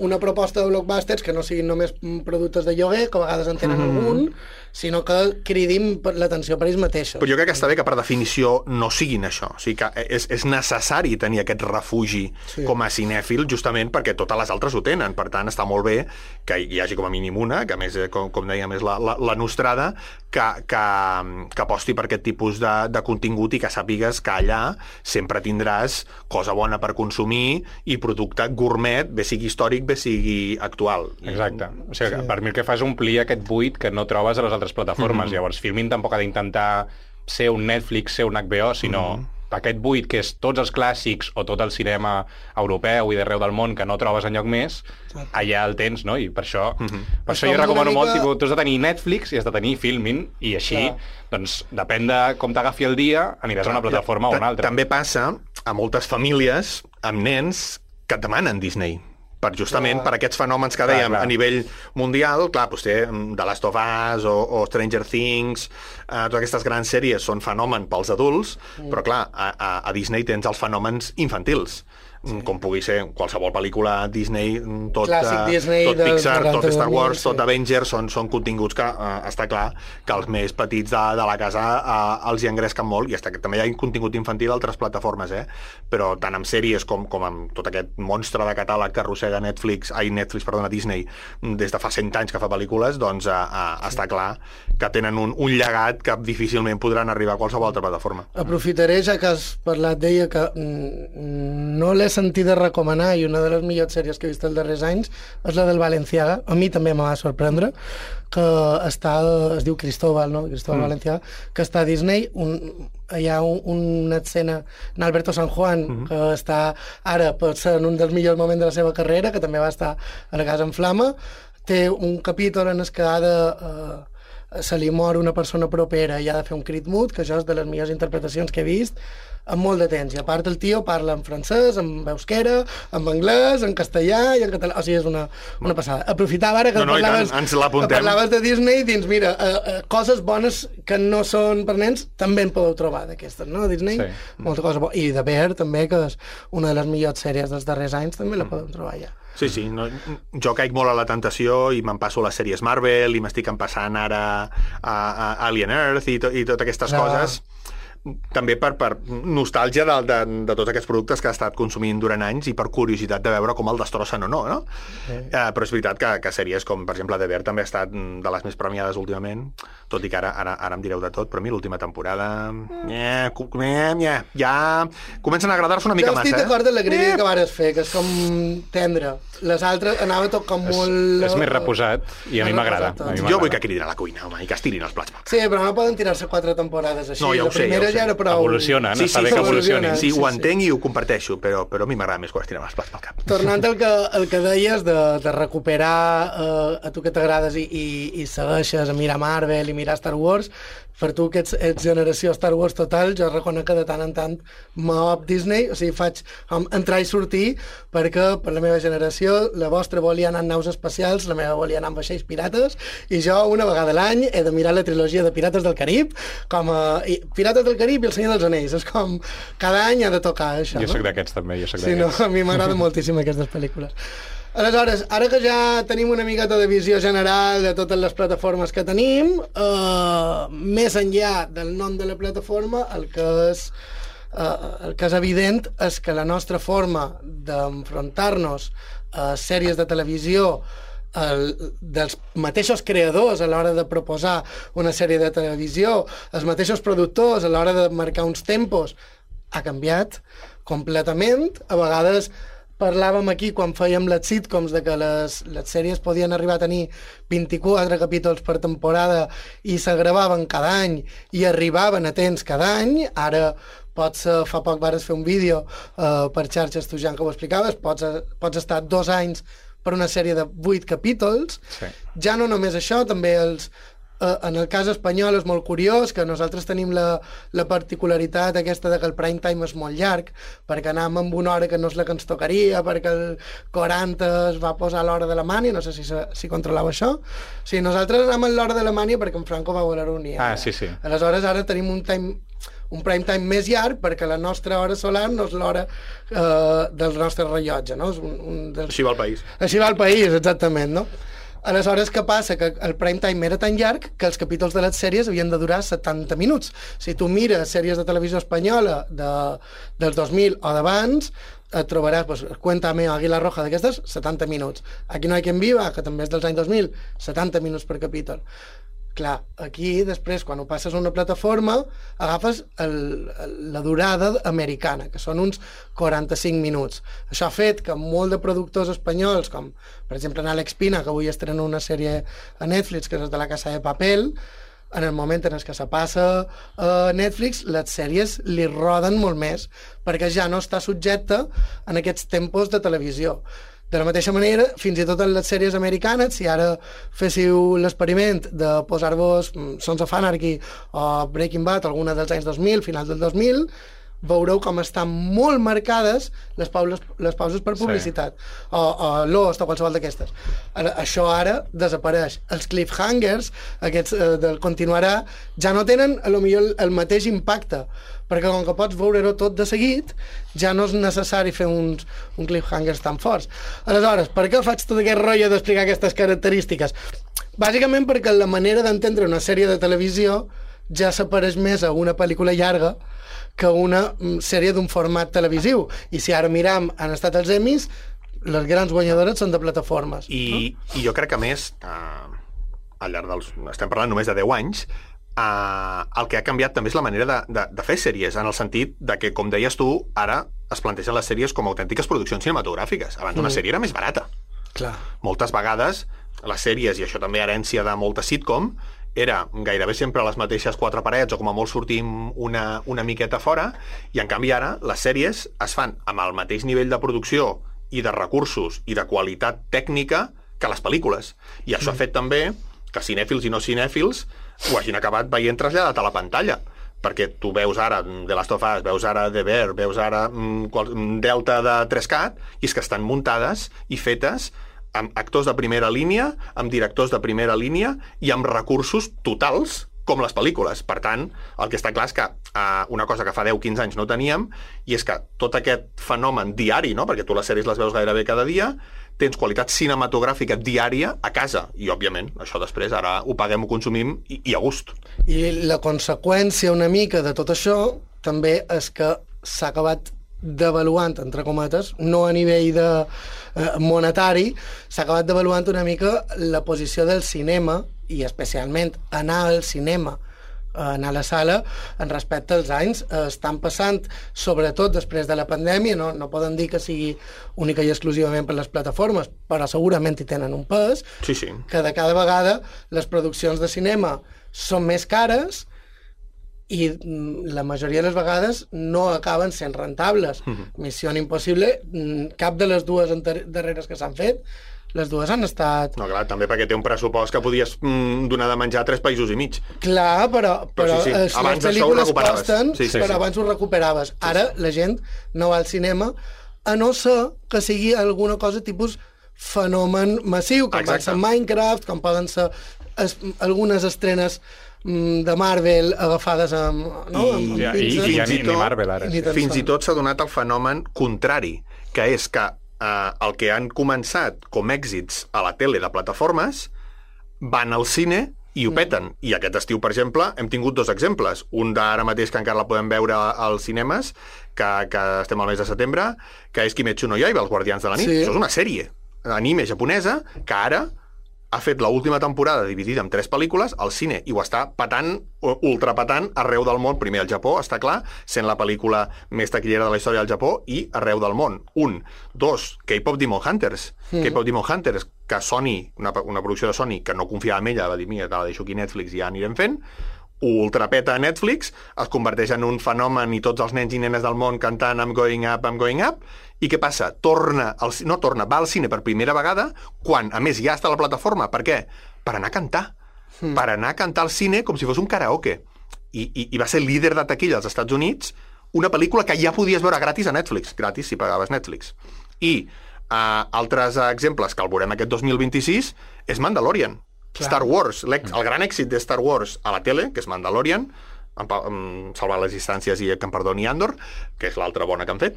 Una proposta de blockbusters que no siguin només productes de lloguer, que a vegades en tenen algun, sinó que cridin l'atenció per ells mateixos. Però jo crec que està bé que per definició no siguin això. O sigui que és necessari tenir aquest refugi com a cinèfil, justament perquè totes les altres ho tenen. Per tant, està molt bé que hi hagi com a mínim una, que a més, com dèiem, és la nostrada, que aposti per aquest tipus de contingut i que sàpigues que allà sempre tindràs cosa bona per consumir i producte gourmet, bé sigui històric, bé sigui actual. Exacte. O sigui, per mi el que fa és omplir aquest buit que no trobes a les altres plataformes. Llavors, Filmin tampoc ha d'intentar ser un Netflix, ser un HBO, sinó aquest buit que és tots els clàssics o tot el cinema europeu i d'arreu del món que no trobes enlloc més, allà el tens, no? I per això, jo recomano molt, tu has de tenir Netflix i has de tenir Filmin, i així, doncs, depèn de com t'agafi el dia, aniràs a una plataforma o una altra. També passa a moltes famílies amb nens que et demanen Disney, justament per aquests fenòmens que dèiem a nivell mundial. Clar, doncs té The Last of Us o Stranger Things, totes aquestes grans sèries són fenomen pels adults, però clar, a Disney tens els fenòmens infantils, com pugui ser qualsevol pel·lícula Disney, tot Pixar, tot Star Wars, tot Avengers, són continguts que està clar que els més petits de la casa els hi engresquen molt, i també hi ha contingut infantil a altres plataformes, però tant amb sèries com amb tot aquest monstre de catàleg que arrossega Disney des de fa 100 anys que fa pel·lícules, doncs està clar que tenen un llegat que difícilment podran arribar a qualsevol altra plataforma. Aprofitaré, ja que has parlat d'ella, que no l'he sentit de recomanar, i una de les millors sèries que he vist els darrers anys és la del Balenciaga. A mi també me va sorprendre, que es diu Cristóbal, no? Cristóbal Balenciaga, que està a Disney. Hi ha una escena en Alberto San Juan, que està ara potser en un dels millors moments de la seva carrera, que també va estar a la Casa en Flama. Té un capítol en el que se li mor una persona propera i ha de fer un crit mut, que això és de les millors interpretacions que he vist en molt de temps. I a part el tio parla en francès, en euskera, en anglès, en castellà i en català. O sigui, és una passada. Aprofitava ara que parlaves de Disney, dins, mira, coses bones que no són per nens també en podeu trobar d'aquestes, no? Disney, molta cosa bona. I The Bear, també, que és una de les millors sèries dels darrers anys, també la podem trobar allà. Sí, jo caic molt a la tentació i me'n passo les sèries Marvel i m'estic empassant ara a Alien Earth i totes aquestes coses, també per nostàlgia de tots aquests productes que ha estat consumint durant anys i per curiositat de veure com el destrossen o no? Però és veritat que sèries com, per exemple, The Bear també ha estat de les més premiades últimament, tot i que ara em direu de tot, però a mi l'última temporada ja comencen a agradar-se una mica massa. Jo estic d'acord amb la crítica que vares fer, que és com tendre. Les altres anava tot com molt... És més reposat i a mi m'agrada. Jo vull que cridin a la cuina, home, i que estirin els plats. Sí, però no poden tirar-se 4 temporades així. No, ja ho sé, ja era prou... Evolucionen, està bé que evolucionin. Sí, ho entenc i ho comparteixo, però a mi m'agrada més quan estiren els plats pel cap. Tornant al que deies de recuperar a tu que t'agrades i segueixes a mirar Marvel i mirar Star Wars, per tu que ets generació Star Wars total, jo reconec que de tant en tant m'op Disney, o sigui, faig entrar i sortir, perquè per la meva generació la vostra volia anar en naus espacials, la meva volia anar en vaixells pirates, i jo una vegada a l'any he de mirar la trilogia de Pirates del Carib, Pirates del Carib i El Senyor dels Anells, és com cada any ha de tocar això. Jo soc d'aquests també, Sí, no, a mi m'agraden moltíssim aquestes pel·lícules. Aleshores, ara que ja tenim una miqueta de visió general de totes les plataformes que tenim, més enllà del nom de la plataforma, el que és evident és que la nostra forma d'enfrontar-nos a sèries de televisió dels mateixos creadors a l'hora de proposar una sèrie de televisió, els mateixos productors a l'hora de marcar uns tempos, ha canviat completament. A vegades parlàvem aquí, quan fèiem les sitcoms, de que les sèries podien arribar a tenir 24 capítols per temporada i se gravaven cada any i arribaven a temps cada any. Ara fa poc vares fer un vídeo per xarxes, tu, Jan, que ho explicaves, pots estar 2 anys per una sèrie de 8 capítols. Sí. Ja no només això, també en el cas espanyol és molt curiós que nosaltres tenim la particularitat aquesta de que el prime time és molt llarg, perquè anàvem amb una hora que no és la que ens tocaria, perquè el 40 es va posar a l'hora d'Alemanya, no sé si controlava això. O sigui, nosaltres anàvem a l'hora d'Alemanya perquè en Franco va voler unir. Sí. Aleshores ara tenim un prime time més llarg perquè la nostra hora solar no és l'hora del nostre rellotge, no? Així va el país. Així va el país, exactament, no? Aleshores, què passa? Que el prime time era tan llarg que els capítols de les sèries havien de durar 70 minuts. Si tu mires sèries de televisió espanyola dels 2000 o d'abans, et trobaràs, pues, Cuéntame o Águila Roja d'aquestes, 70 minuts. Aquí no hay quien viva, que també és dels anys 2000, 70 minuts per capítol. Clar, aquí, després, quan ho passes a una plataforma, agafes la durada americana, que són uns 45 minuts. Això ha fet que molt de productors espanyols, com, per exemple, en Àlex Pina, que avui estrena una sèrie a Netflix, que és de La Casa de Papel, en el moment en què se passa a Netflix, les sèries li roden molt més, perquè ja no està subjecte en aquests tempos de televisió. De la mateixa manera, fins i tot en les sèries americanes, si ara féssiu l'experiment de posar-vos Sons of Anarchy o Breaking Bad, alguna dels anys 2000, final del 2000, veureu com estan molt marcades les pauses per publicitat. Sí. O Lost o qualsevol d'aquestes. Això ara desapareix. Els cliffhangers, aquests del continuarà, ja no tenen potser el mateix impacte, perquè com que pots veure-ho tot de seguit, ja no és necessari fer un cliffhangers tan forts. Aleshores, per què faig tot aquest rotllo d'explicar aquestes característiques? Bàsicament perquè la manera d'entendre una sèrie de televisió ja s'apareix més a una pel·lícula llarga que una sèrie d'un format televisiu. I si ara miram han estat els Emmys, les grans guanyadores són de plataformes. I jo crec que, més, al llarg estem parlant només de 10 anys, el que ha canviat també és la manera de fer sèries, en el sentit de que, com deies tu, ara es plantegen les sèries com autèntiques produccions cinematogràfiques. Abans una sèrie era més barata. Clar. Moltes vegades les sèries, i això també herència de molta sitcom, era gairebé sempre les mateixes 4 parets o com a molt sortim una miqueta fora, i en canvi ara les sèries es fan amb el mateix nivell de producció i de recursos i de qualitat tècnica que les pel·lícules. I això ha fet també que cinèfils i no cinèfils ho hagin acabat veient traslladat a la pantalla, perquè tu veus ara The Last of Us, veus ara The Bear, veus ara Delta de 3CAT, i és que estan muntades i fetes amb actors de primera línia, amb directors de primera línia i amb recursos totals com les pel·lícules. Per tant, el que està clar és que una cosa que fa 10-15 anys no teníem, i és que tot aquest fenomen diari, no? Perquè tu les sèries les veus gairebé cada dia, tens qualitat cinematogràfica diària a casa. I, òbviament, això després ara ho paguem, ho consumim i a gust. I la conseqüència una mica de tot això també és que s'ha acabat devaluant, entre cometes, no a nivell de monetari, s'ha acabat devaluant una mica la posició del cinema i especialment anar al cinema, anar a la sala, en respecte als anys. Estan passant, sobretot després de la pandèmia, no poden dir que sigui única i exclusivament per les plataformes, però segurament hi tenen un pes, sí. que de cada vegada les produccions de cinema són més cares i la majoria de les vegades no acaben sent rentables. Missió Impossible, cap de les dues darreres que s'han fet, les dues han estat... No, clar, també perquè té un pressupost que podies donar de menjar a 3 països i mig. Clar, però sí. les pel·lícules costen, però abans ho recuperaves. Ara la gent no va al cinema, a no ser que sigui alguna cosa tipus fenomen massiu, com pot ser Minecraft, com poden ser algunes estrenes de Marvel agafades amb I ni Marvel ara. Fins i tot s'ha donat el fenomen contrari, que és que el que han començat com èxits a la tele de plataformes van al cine i ho peten. I aquest estiu, per exemple, hem tingut 2 exemples. Un d'ara mateix, que encara la podem veure als cinemes, que estem al mes de setembre, que és Kimetsu no Yaiba, els Guardians de la Nit. Això és una sèrie anime japonesa que ara ha fet l'última temporada dividida en 3 pel·lícules al cine i ho està patant, ultrapatant arreu del món. Primer al Japó, està clar, sent la pel·lícula més taquillera de la història del Japó, i arreu del món. 1. 2. K-pop Demon Hunters. K-pop Demon Hunters, que Sony, una producció de Sony, que no confiava en ella, va dir, mira, te la deixo aquí a Netflix i ja anirem fent, ultrapeta a Netflix, es converteix en un fenomen i tots els nens i nenes del món cantant I'm going up, I'm going up. I què passa? Va al cine per primera vegada quan, a més, ja està a la plataforma. Per què? Per anar a cantar. Per anar a cantar al cine com si fos un karaoke. I va ser líder de taquilla als Estats Units, una pel·lícula que ja podies veure gratis a Netflix, gratis si pagaves Netflix. I altres exemples que el veurem aquest 2026 és Mandalorian. Clar. Star Wars, el gran èxit de Star Wars a la tele, que és Mandalorian, salvar les distàncies i que em perdoni Andor, que és l'altra bona que han fet.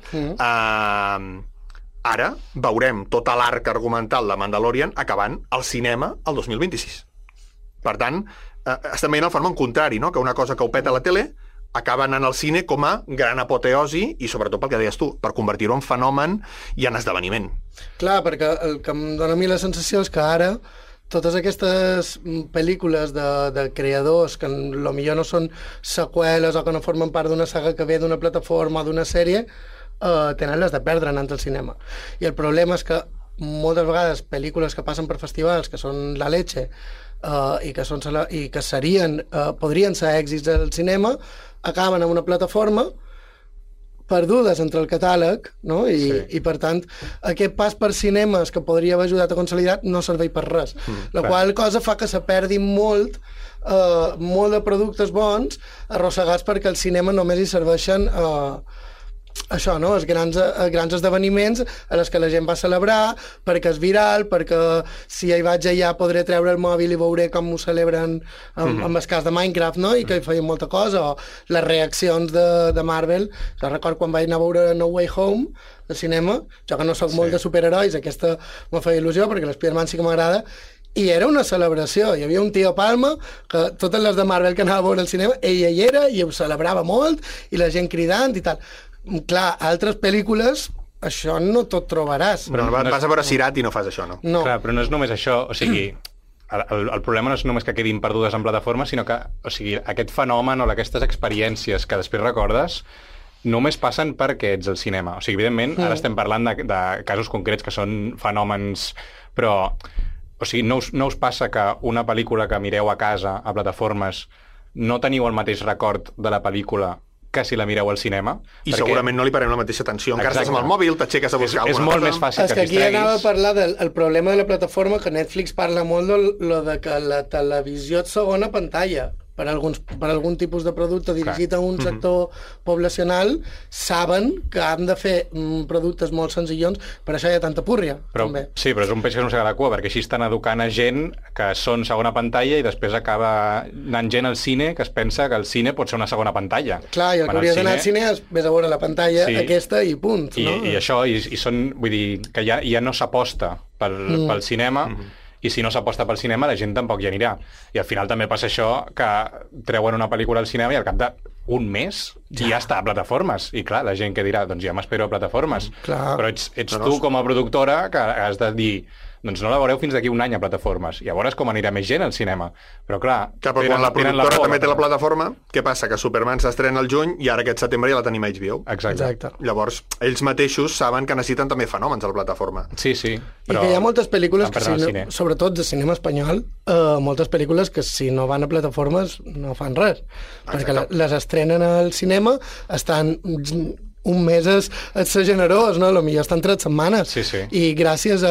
Ara veurem tot l'arc argumental de Mandalorian acabant al cinema el 2026. Per tant, estem veient el fenomen contrari, no? Que una cosa que ho peta a la tele acaba anant al cine com a gran apoteosi i sobretot pel que deies tu, per convertir-ho en fenomen i en esdeveniment. Clar, perquè el que em dona a mi la sensació és que ara totes aquestes pel·lícules de creadors que potser no són seqüeles o que no formen part d'una saga que ve d'una plataforma o d'una sèrie, tenen les de perdre anant al cinema. I el problema és que moltes vegades pel·lícules que passen per festivals, que són la leche, i que podrien ser èxits al cinema, acaben en una plataforma perdudes entre el catàleg, no? I per tant, aquest pas per cinemes que podria haver ajudat a consolidar no serveix per res. La qual cosa fa que se perdi molt de productes bons arrossegats perquè al cinema només hi serveixen això, no? Els grans esdeveniments a les que la gent va celebrar perquè és viral, perquè si hi vaig allà podré treure el mòbil i veuré com ho celebren amb el cas de Minecraft, no? I que hi feien molta cosa, o les reaccions de Marvel. Jo recordo quan vaig anar a veure No Way Home al cinema, jo que no sóc molt de superherois, aquesta me feia il·lusió perquè l'Spider-Man sí que m'agrada, i era una celebració. Hi havia un tio Palma que totes les de Marvel que anava a veure al cinema, ell hi era i ho celebrava molt, i la gent cridant i tal. Clar, altres pel·lícules això no tot trobaràs. Però vas a veure Sirat i no fas això, no? No. Clar, però no és només això, o sigui, el problema no és només que quedin perdudes en plataformes, sinó que, o sigui, aquest fenomen o aquestes experiències que després recordes només passen perquè ets al cinema. O sigui, evidentment, ara estem parlant de casos concrets que són fenòmens, però, o sigui, no us passa que una pel·lícula que mireu a casa, a plataformes, no teniu el mateix record de la pel·lícula que si la mireu al cinema. I perquè segurament no li parem la mateixa atenció. Encara estàs amb el mòbil, t'aixeques a buscar és molt més fàcil que aquí anava a parlar del problema de la plataforma, que Netflix parla molt de que la televisió és segona pantalla. per algun tipus de producte dirigit a un sector poblacional, saben que han de fer productes molt senzillons, per això hi ha tanta púrria. També. Sí, però és un peix que no s'agrada la cua, perquè així estan educant a gent que són segona pantalla i després acaba anant gent al cine que es pensa que el cine pot ser una segona pantalla. Clar, i el que hauria d'anar al cine és vés a veure la pantalla aquesta i punt. I això, i són, vull dir, que ja no s'aposta pel cinema, i si no s'aposta pel cinema la gent tampoc hi anirà. I al final també passa això, que treuen una pel·lícula al cinema i al cap d'un mes ja està a plataformes. I clar, la gent que dirà, doncs ja m'espero a plataformes. Però ets tu com a productora que has de dir, doncs no la veureu fins d'aquí un any a plataformes. Llavors com anirà més gent al cinema. Però clar, però quan la productora també té la plataforma, què passa? Que Superman s'estrena al juny i ara aquest setembre ja la tenim a HBO. Exacte. Llavors, ells mateixos saben que necessiten també fenòmens a la plataforma. Sí, però... I que hi ha moltes pel·lícules que, sobretot de cinema espanyol, moltes pel·lícules que si no van a plataformes no fan res. Perquè les estrenen al cinema, estan... un mes és ser generós, no? Potser estan 3 setmanes. I gràcies a...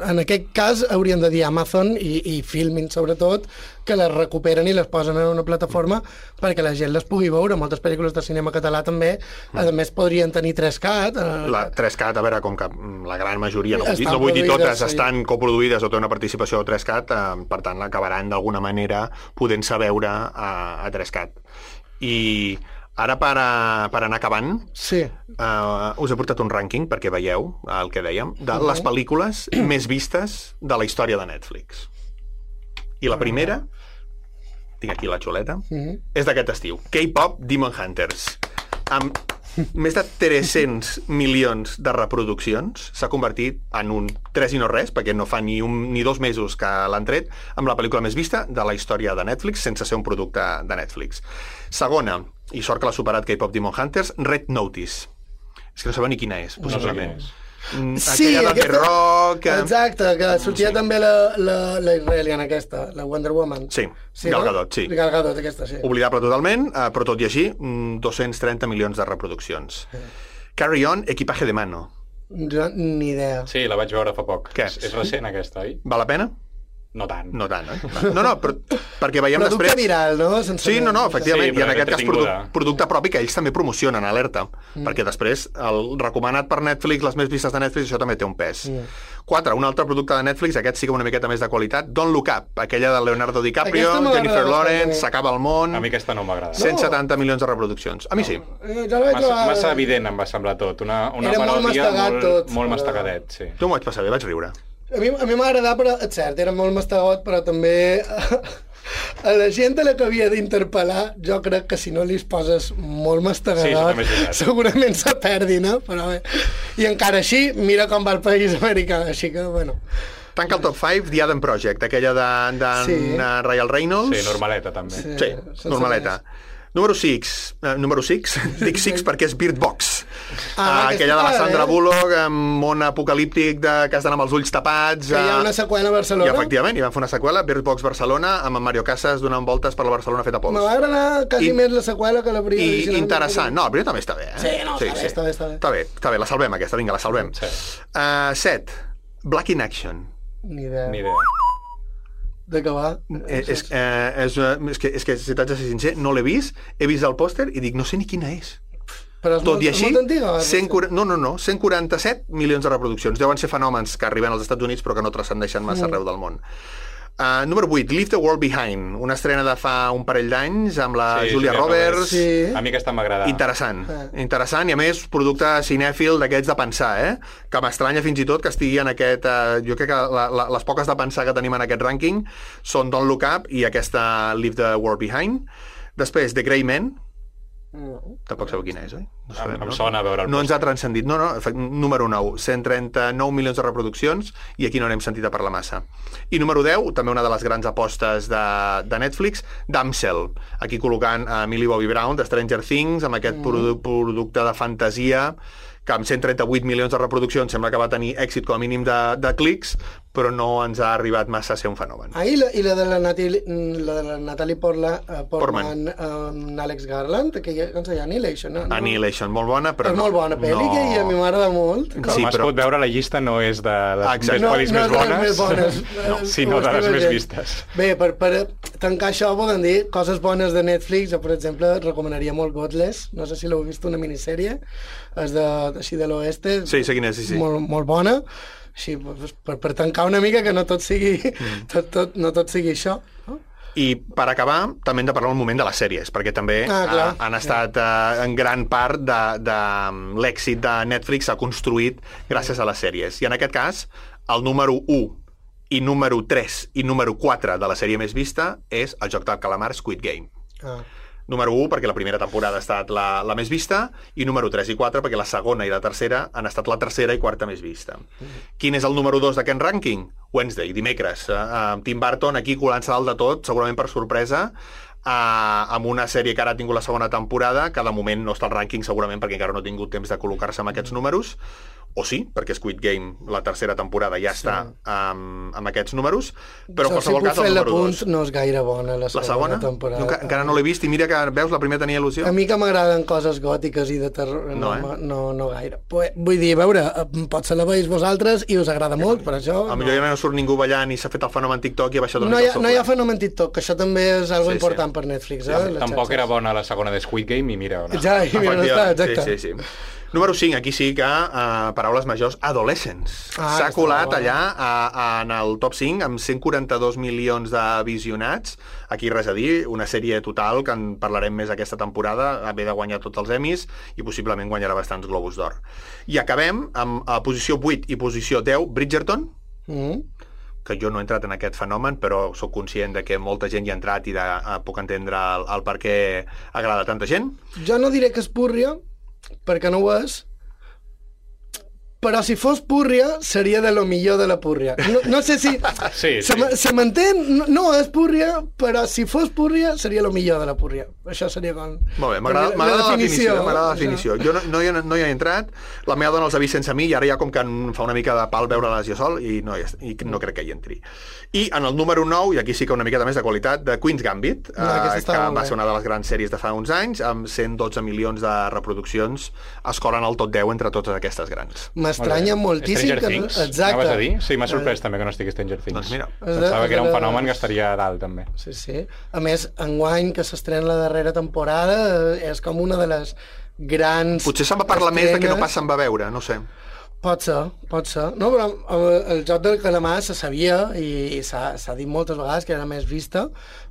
En aquest cas haurien de dir Amazon i Filmin, sobretot, que les recuperen i les posen en una plataforma perquè la gent les pugui veure. Moltes pel·lícules de cinema català també, a més, podrien tenir 3CAT. La 3CAT, a veure, com que la gran majoria, no vull dir totes, estan coproduïdes o té una participació a 3CAT, per tant, acabaran d'alguna manera podent-se veure a 3CAT. I... Ara, per anar acabant, us he portat un rànquing, perquè veieu el que dèiem, de les pel·lícules més vistes de la història de Netflix. I la primera, tinc aquí la xuleta, és d'aquest estiu. K-pop Demon Hunters. Amb més de 300 milions de reproduccions, s'ha convertit en un 3 i no res, perquè no fa ni 2 mesos que l'han tret, amb la pel·lícula més vista de la història de Netflix, sense ser un producte de Netflix. Segona, i sort que l'ha superat K-pop Demon Hunters, Red Notice. És que no sabeu ni quina és, possiblement. Aquella de Rock... Exacte, que sortia també la israeliana aquesta, la Wonder Woman. Sí, Gal Gadot, sí. Gal Gadot, aquesta, sí. Oblidable totalment, però tot i així, 230 milions de reproduccions. Carry On, Equipaje de Mano. Jo, ni idea. Sí, la vaig veure fa poc. Què? És recent, aquesta, oi? Val la pena? No tant. No tant, oi? No, però perquè veiem producte després... Producte viral, no? Sí, efectivament, i en aquest cas producte propi que ells també promocionen, alerta, perquè després el recomanat per Netflix, les més vistes de Netflix, això també té un pes. 4, un altre producte de Netflix, aquest sí que una miqueta més de qualitat, Don't Look Up, aquella de Leonardo DiCaprio, Jennifer Lawrence, S'acaba el món... A mi aquesta no m'agrada. 170 milions de reproduccions. A mi sí. Massa evident em va semblar tot. Una parodia molt mastagadet, sí. Jo m'ho vaig passar bé, vaig riure. A mi m'ha agradat, però és cert, era molt mastegot, però també a la gent a la que havia d'interpel·lar, jo crec que si no li poses molt mastegador, segurament se perdi, no? Però bé. I encara així, mira com va el país americà, així que, bueno... Tanca el top 5, The Adam Project, aquella de Ryan Reynolds. Sí, normaleta, també. Sí, normaleta. Número 6, dic 6 perquè és Bird Box. Aquella de la Sandra Bullock, amb món apocalíptic que has d'anar amb els ulls tapats. Que hi ha una seqüela a Barcelona. I efectivament, hi van fer una seqüela, Bird Box Barcelona, amb en Mario Casas donant voltes per la Barcelona feta pols. Me va agradar quasi més la seqüela que la primera. I interessant. No, la primera també està bé. Sí, està bé. Està bé, la salvem aquesta, vinga, la salvem. 7, Black in Action. Ni idea. De què va? És que si t'haig de ser sincer, no l'he vist, he vist el pòster i dic, no sé ni quina és. Però és tot i així, molt antiga? 147 milions de reproduccions. Deuen ser fenòmens que arriben als Estats Units però que no transcendeixen massa arreu del món. Número 8, Leave the World Behind, una estrena de fa un parell d'anys amb la Julia Roberts. A mi aquesta m'agrada. Interessant, i a més producte cinèfil d'aquests de pensar, que m'estranya fins i tot que estigui en aquest... jo crec que les poques de pensar que tenim en aquest rànquing són Don't Look Up i aquesta Leave the World Behind. Després, The Grey Man. Tampoc sabeu quina és, oi? Em sona a veure el no ens ha transcendit. No, número 9, 139 milions de reproduccions i aquí no n'hem sentit a parlar massa. I número 10, també una de les grans apostes de Netflix, Damsel, aquí col·locant a Millie Bobby Brown de Stranger Things amb aquest producte de fantasia que amb 138 milions de reproduccions sembla que va tenir èxit com a mínim de clics, però no ens ha arribat massa a ser un fenomen. I la de la Natalie Portman amb Alex Garland, que ja es deia Annihilation, no? Annihilation, molt bona, però és molt bona pel·li, que a mi m'agrada molt. Com es pot veure, la llista no és de les pel·lis més bones, sinó de les més vistes. Bé, tancar això poden dir coses bones de Netflix. Jo, per exemple, recomanaria molt Godless. No sé si l'heu vist, una minissèrie. És així de l'oeste. Sí, sé quina és, sí. Molt bona. Així, per tancar una mica, que no tot sigui, no tot sigui això. No? I per acabar, també hem de parlar un moment de les sèries, perquè també han estat en gran part de l'èxit de Netflix s'ha construït gràcies a les sèries. I en aquest cas, el número 1 i número 3 i número 4 de la sèrie més vista és el joc del calamar Squid Game. Número 1 perquè la primera temporada ha estat la més vista, i número 3 i 4 perquè la segona i la tercera han estat la tercera i quarta més vista. Quin és el número 2 d'aquest rànquing? Wednesday, dimecres. Tim Burton aquí colant-se dalt de tot, segurament per sorpresa, amb una sèrie que ara ha tingut la segona temporada, que de moment no està al rànquing segurament perquè encara no ha tingut temps de col·locar-se amb aquests números, o sí, perquè Squid Game, la tercera temporada, ja està amb aquests números, però en qualsevol cas el número 2. No és gaire bona la segona temporada. Encara no l'he vist, i mira que, veus, la primera tenia il·lusió. A mi que m'agraden coses gòtiques i de terror, no gaire. Vull dir, a veure, potser la veus vosaltres i us agrada molt, per això... A millor ja no surt ningú ballant i s'ha fet el fenomen TikTok i ha baixat una mica el sofre. No hi ha fenomen TikTok, que això també és algo important per Netflix. Tampoc era bona la segona de Squid Game, i mira... Ja, i mira on està, exacte. Sí. Número 5, aquí sí que, paraules majors, Adolescents. S'ha colat allà en el top 5 amb 142 milions de visionats. Aquí res a dir, una sèrie total que en parlarem més aquesta temporada, ve de guanyar tots els Emmys i possiblement guanyarà bastants Globus d'Or. I acabem amb posició 8 i posició 10, Bridgerton, que jo no he entrat en aquest fenomen, però sóc conscient de que molta gent hi ha entrat i puc entendre el per què agrada tanta gent. Jo no diré que és púrria, perquè no ho és, però si fos púrria seria de lo millor de la púrria. No sé si se m'entén, no és púrria, però si fos púrria seria lo millor de la púrria. Això seria com... Molt bé, m'agrada la definició. Jo no hi he entrat, la meva dona els ha vist sense mi i ara ja com que em fa una mica de pal veure-les jo sol i no crec que hi entri. I en el número 9, i aquí sí que una miqueta més de qualitat, de Queen's Gambit, que va ser una de les grans sèries de fa uns anys, amb 112 milions de reproduccions, es colen al top 10 entre totes aquestes grans. M'estranya moltíssim. Stranger Things, anaves a dir? Sí, m'ha sorprès també que no estigui Stranger Things. Doncs mira. Pensava que era un fenomen que estaria a dalt, també. Sí. A més, enguany, que s'estrena la darrera temporada, és com una de les grans... Potser se'n va parlar més de que no pas se'n va veure, no sé. Pot ser. No, però el joc del calamar se sabia i s'ha dit moltes vegades que era més vista,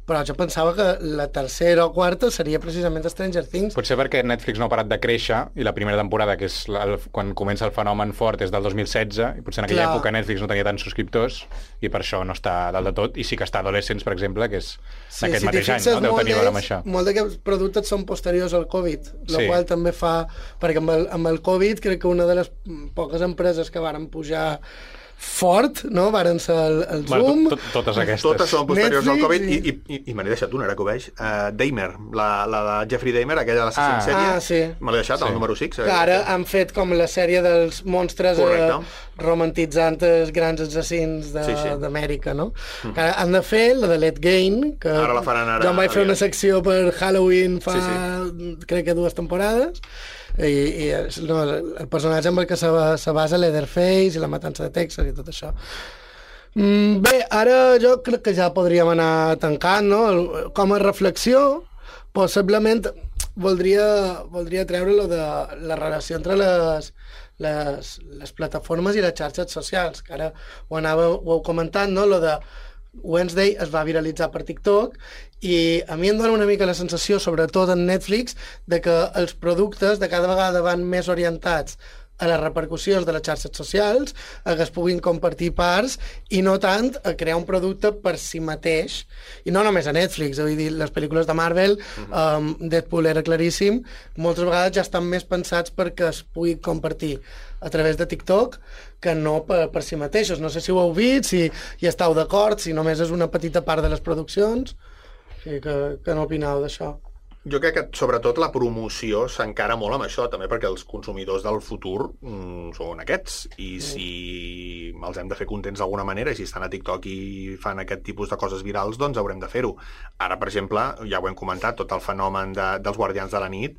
però jo pensava que la tercera o quarta seria precisament Stranger Things. Potser perquè Netflix no ha parat de créixer i la primera temporada, que és quan comença el fenomen fort, és del 2016, i potser en aquella època Netflix no tenia tants subscriptors i per això no està dalt de tot, i sí que està Adolescents, per exemple, que és d'aquest mateix any, no? Deu tenir a veure amb això. Molt d'aquests productes són posteriors al Covid, la qual també fa... Perquè amb el Covid crec que una de les poques empreses que varen pujar fort, no? Varen ser el Zoom... Totes aquestes. Totes són posteriors al Covid i me n'he deixat una, ara que ho veig. Dahmer, la de Jeffrey Dahmer, aquella de l'assassí en sèrie. Sí. Me l'he deixat, el número 6. Que ara han fet com la sèrie dels monstres romantitzant els grans assassins d'Amèrica, no? Que han de fer la de Let Gain, que ara la faran ara. Jo em vaig fer una secció per Halloween fa, crec que 2 temporades, i el personatge amb el que se basa Leatherface i la matança de Texas i tot això. Bé, ara jo crec que ja podríem anar tancant, no? Com a reflexió, possiblement voldria treure lo de la relació entre les plataformes i les xarxes socials, que ara ho heu comentat, no? Lo de Wednesday es va viralitzar per TikTok i a mi em dona una mica la sensació, sobretot en Netflix, de que els productes de cada vegada van més orientats a les repercussions de les xarxes socials, a que es puguin compartir parts i no tant a crear un producte per si mateix. I no només a Netflix, vull dir, les pel·lícules de Marvel, Deadpool era claríssim, moltes vegades ja estan més pensats perquè es pugui compartir a través de TikTok que no per si mateixos. No sé si ho heu vist, si hi esteu d'acord, si només és una petita part de les produccions. Què n'opineu d'això? Jo crec que, sobretot, la promoció s'encara molt amb això, també perquè els consumidors del futur són aquests, i si els hem de fer contents d'alguna manera, i si estan a TikTok i fan aquest tipus de coses virals, doncs haurem de fer-ho. Ara, per exemple, ja ho hem comentat, tot el fenomen dels Guardians de la Nit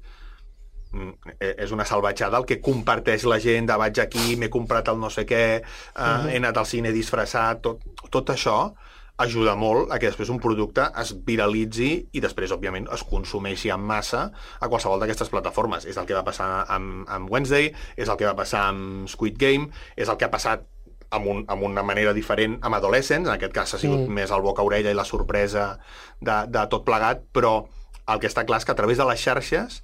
és una salvatjada el que comparteix la gent de vaig aquí, m'he comprat el no sé què, he anat al cine disfressat, tot això ajuda molt a que després un producte es viralitzi i després, òbviament, es consumeixi en massa a qualsevol d'aquestes plataformes. És el que va passar amb Wednesday, és el que va passar amb Squid Game, és el que ha passat amb una manera diferent amb Adolescents, en aquest cas ha sigut més el boca-orella i la sorpresa de tot plegat, però el que està clar és que a través de les xarxes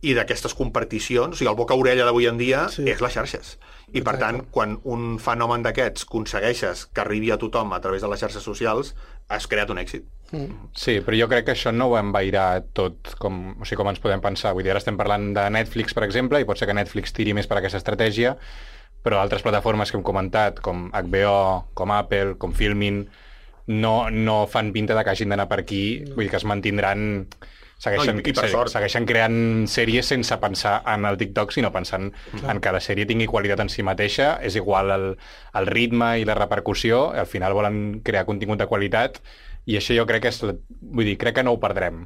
i d'aquestes comparticions, o sigui, el boca-orella d'avui en dia és les xarxes. I, per tant, quan un fenomen d'aquests aconsegueixes que arribi a tothom a través de les xarxes socials, has creat un èxit. Sí, però jo crec que això no ho envairà tot com ens podem pensar. Vull dir, ara estem parlant de Netflix, per exemple, i pot ser que Netflix tiri més per aquesta estratègia, però altres plataformes que hem comentat, com HBO, com Apple, com Filmin, no fan pinta de que hagin d'anar per aquí, vull dir que es mantindran... Segueixen creant sèries sense pensar en el TikTok, sinó pensant en que la sèrie tingui qualitat en si mateixa, és igual el ritme i la repercussió, al final volen crear contingut de qualitat, i això jo crec que crec que no ho perdrem.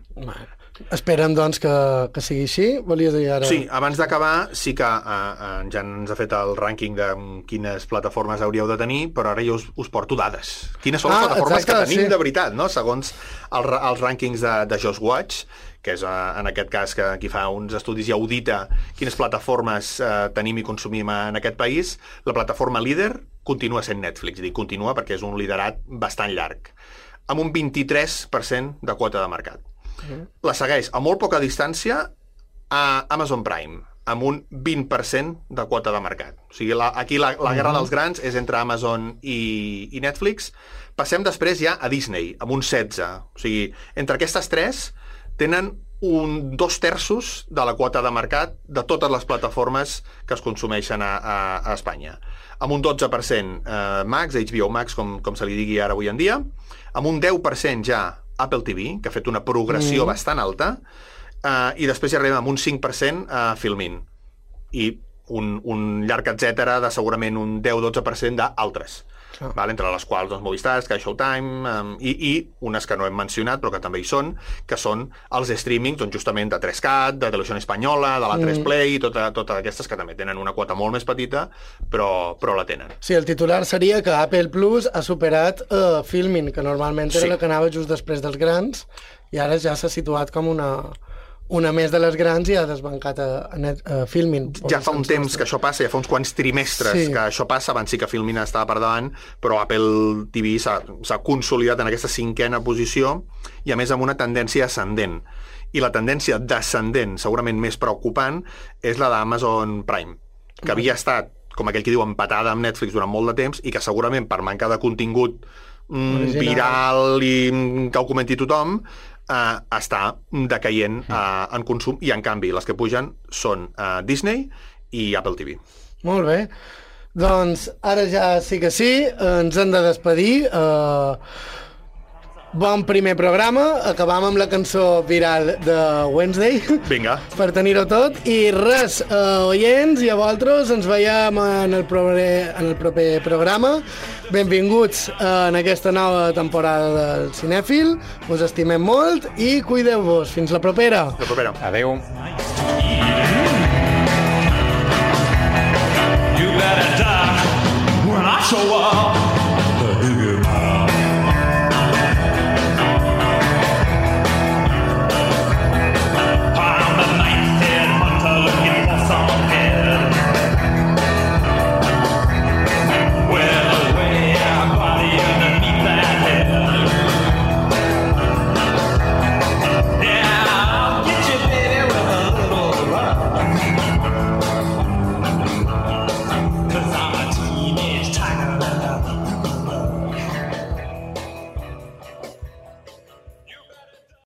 Esperem, doncs, que sigui així. Volies dir ara... Sí, abans d'acabar, sí que ja ens ha fet el rànquing de quines plataformes hauríeu de tenir, però ara jo us porto dades. Quines són les plataformes que tenim de veritat, no? Segons els rànquings de Just Watch, que és en aquest cas que qui fa uns estudis i audita quines plataformes tenim i consumim en aquest país, la plataforma líder continua sent Netflix, continua perquè és un liderat bastant llarg, amb un 23% de quota de mercat. La segueix a molt poca distància a Amazon Prime, amb un 20% de quota de mercat. O sigui, aquí la guerra dels grans és entre Amazon i Netflix. Passem després ja a Disney, amb un 16%. O sigui, entre aquestes tres tenen un 2/3 de la quota de mercat de totes les plataformes que es consumeixen a Espanya. Amb un 12% Max, HBO Max, com se li digui ara avui en dia, amb un 10% ja Apple TV, que ha fet una progressió bastant alta, i després ja arribem amb un 5% a Filmin, i un llarg etcètera de segurament un 10-12% d'altres. Entre les quals Movistar, Sky Showtime i unes que no hem mencionat però que també hi són, que són els streamings justament de 3Cat, de Televisió Espanyola, de la 3Play, totes aquestes que també tenen una quota molt més petita però la tenen. Sí, el titular seria que Apple Plus ha superat Filmin, que normalment era la que anava just després dels grans, i ara ja s'ha situat com una més de les grans i ha desbancat a Filmin. Ja fa un temps que això passa, ja fa uns quants trimestres que això passa, abans sí que Filmin estava per davant, però Apple TV s'ha consolidat en aquesta 5a posició i a més amb una tendència ascendent. I la tendència descendent, segurament més preocupant, és la d'Amazon Prime, que havia estat, com aquell que diu, empatada amb Netflix durant molt de temps i que segurament per manca de contingut viral i que ho comenti tothom, està decaient en consum, i en canvi les que pugen són Disney i Apple TV. Molt bé, doncs ara ja sí que sí, ens hem de despedir. Bon primer programa, acabam amb la cançó viral de Wednesday. Vinga. Per tenir-ho tot. I res, oients i a vosaltres, ens veiem en el proper programa. Benvinguts en aquesta nova temporada del Cinèfil. Us estimem molt i cuideu-vos. Fins la propera. La propera. Adeu.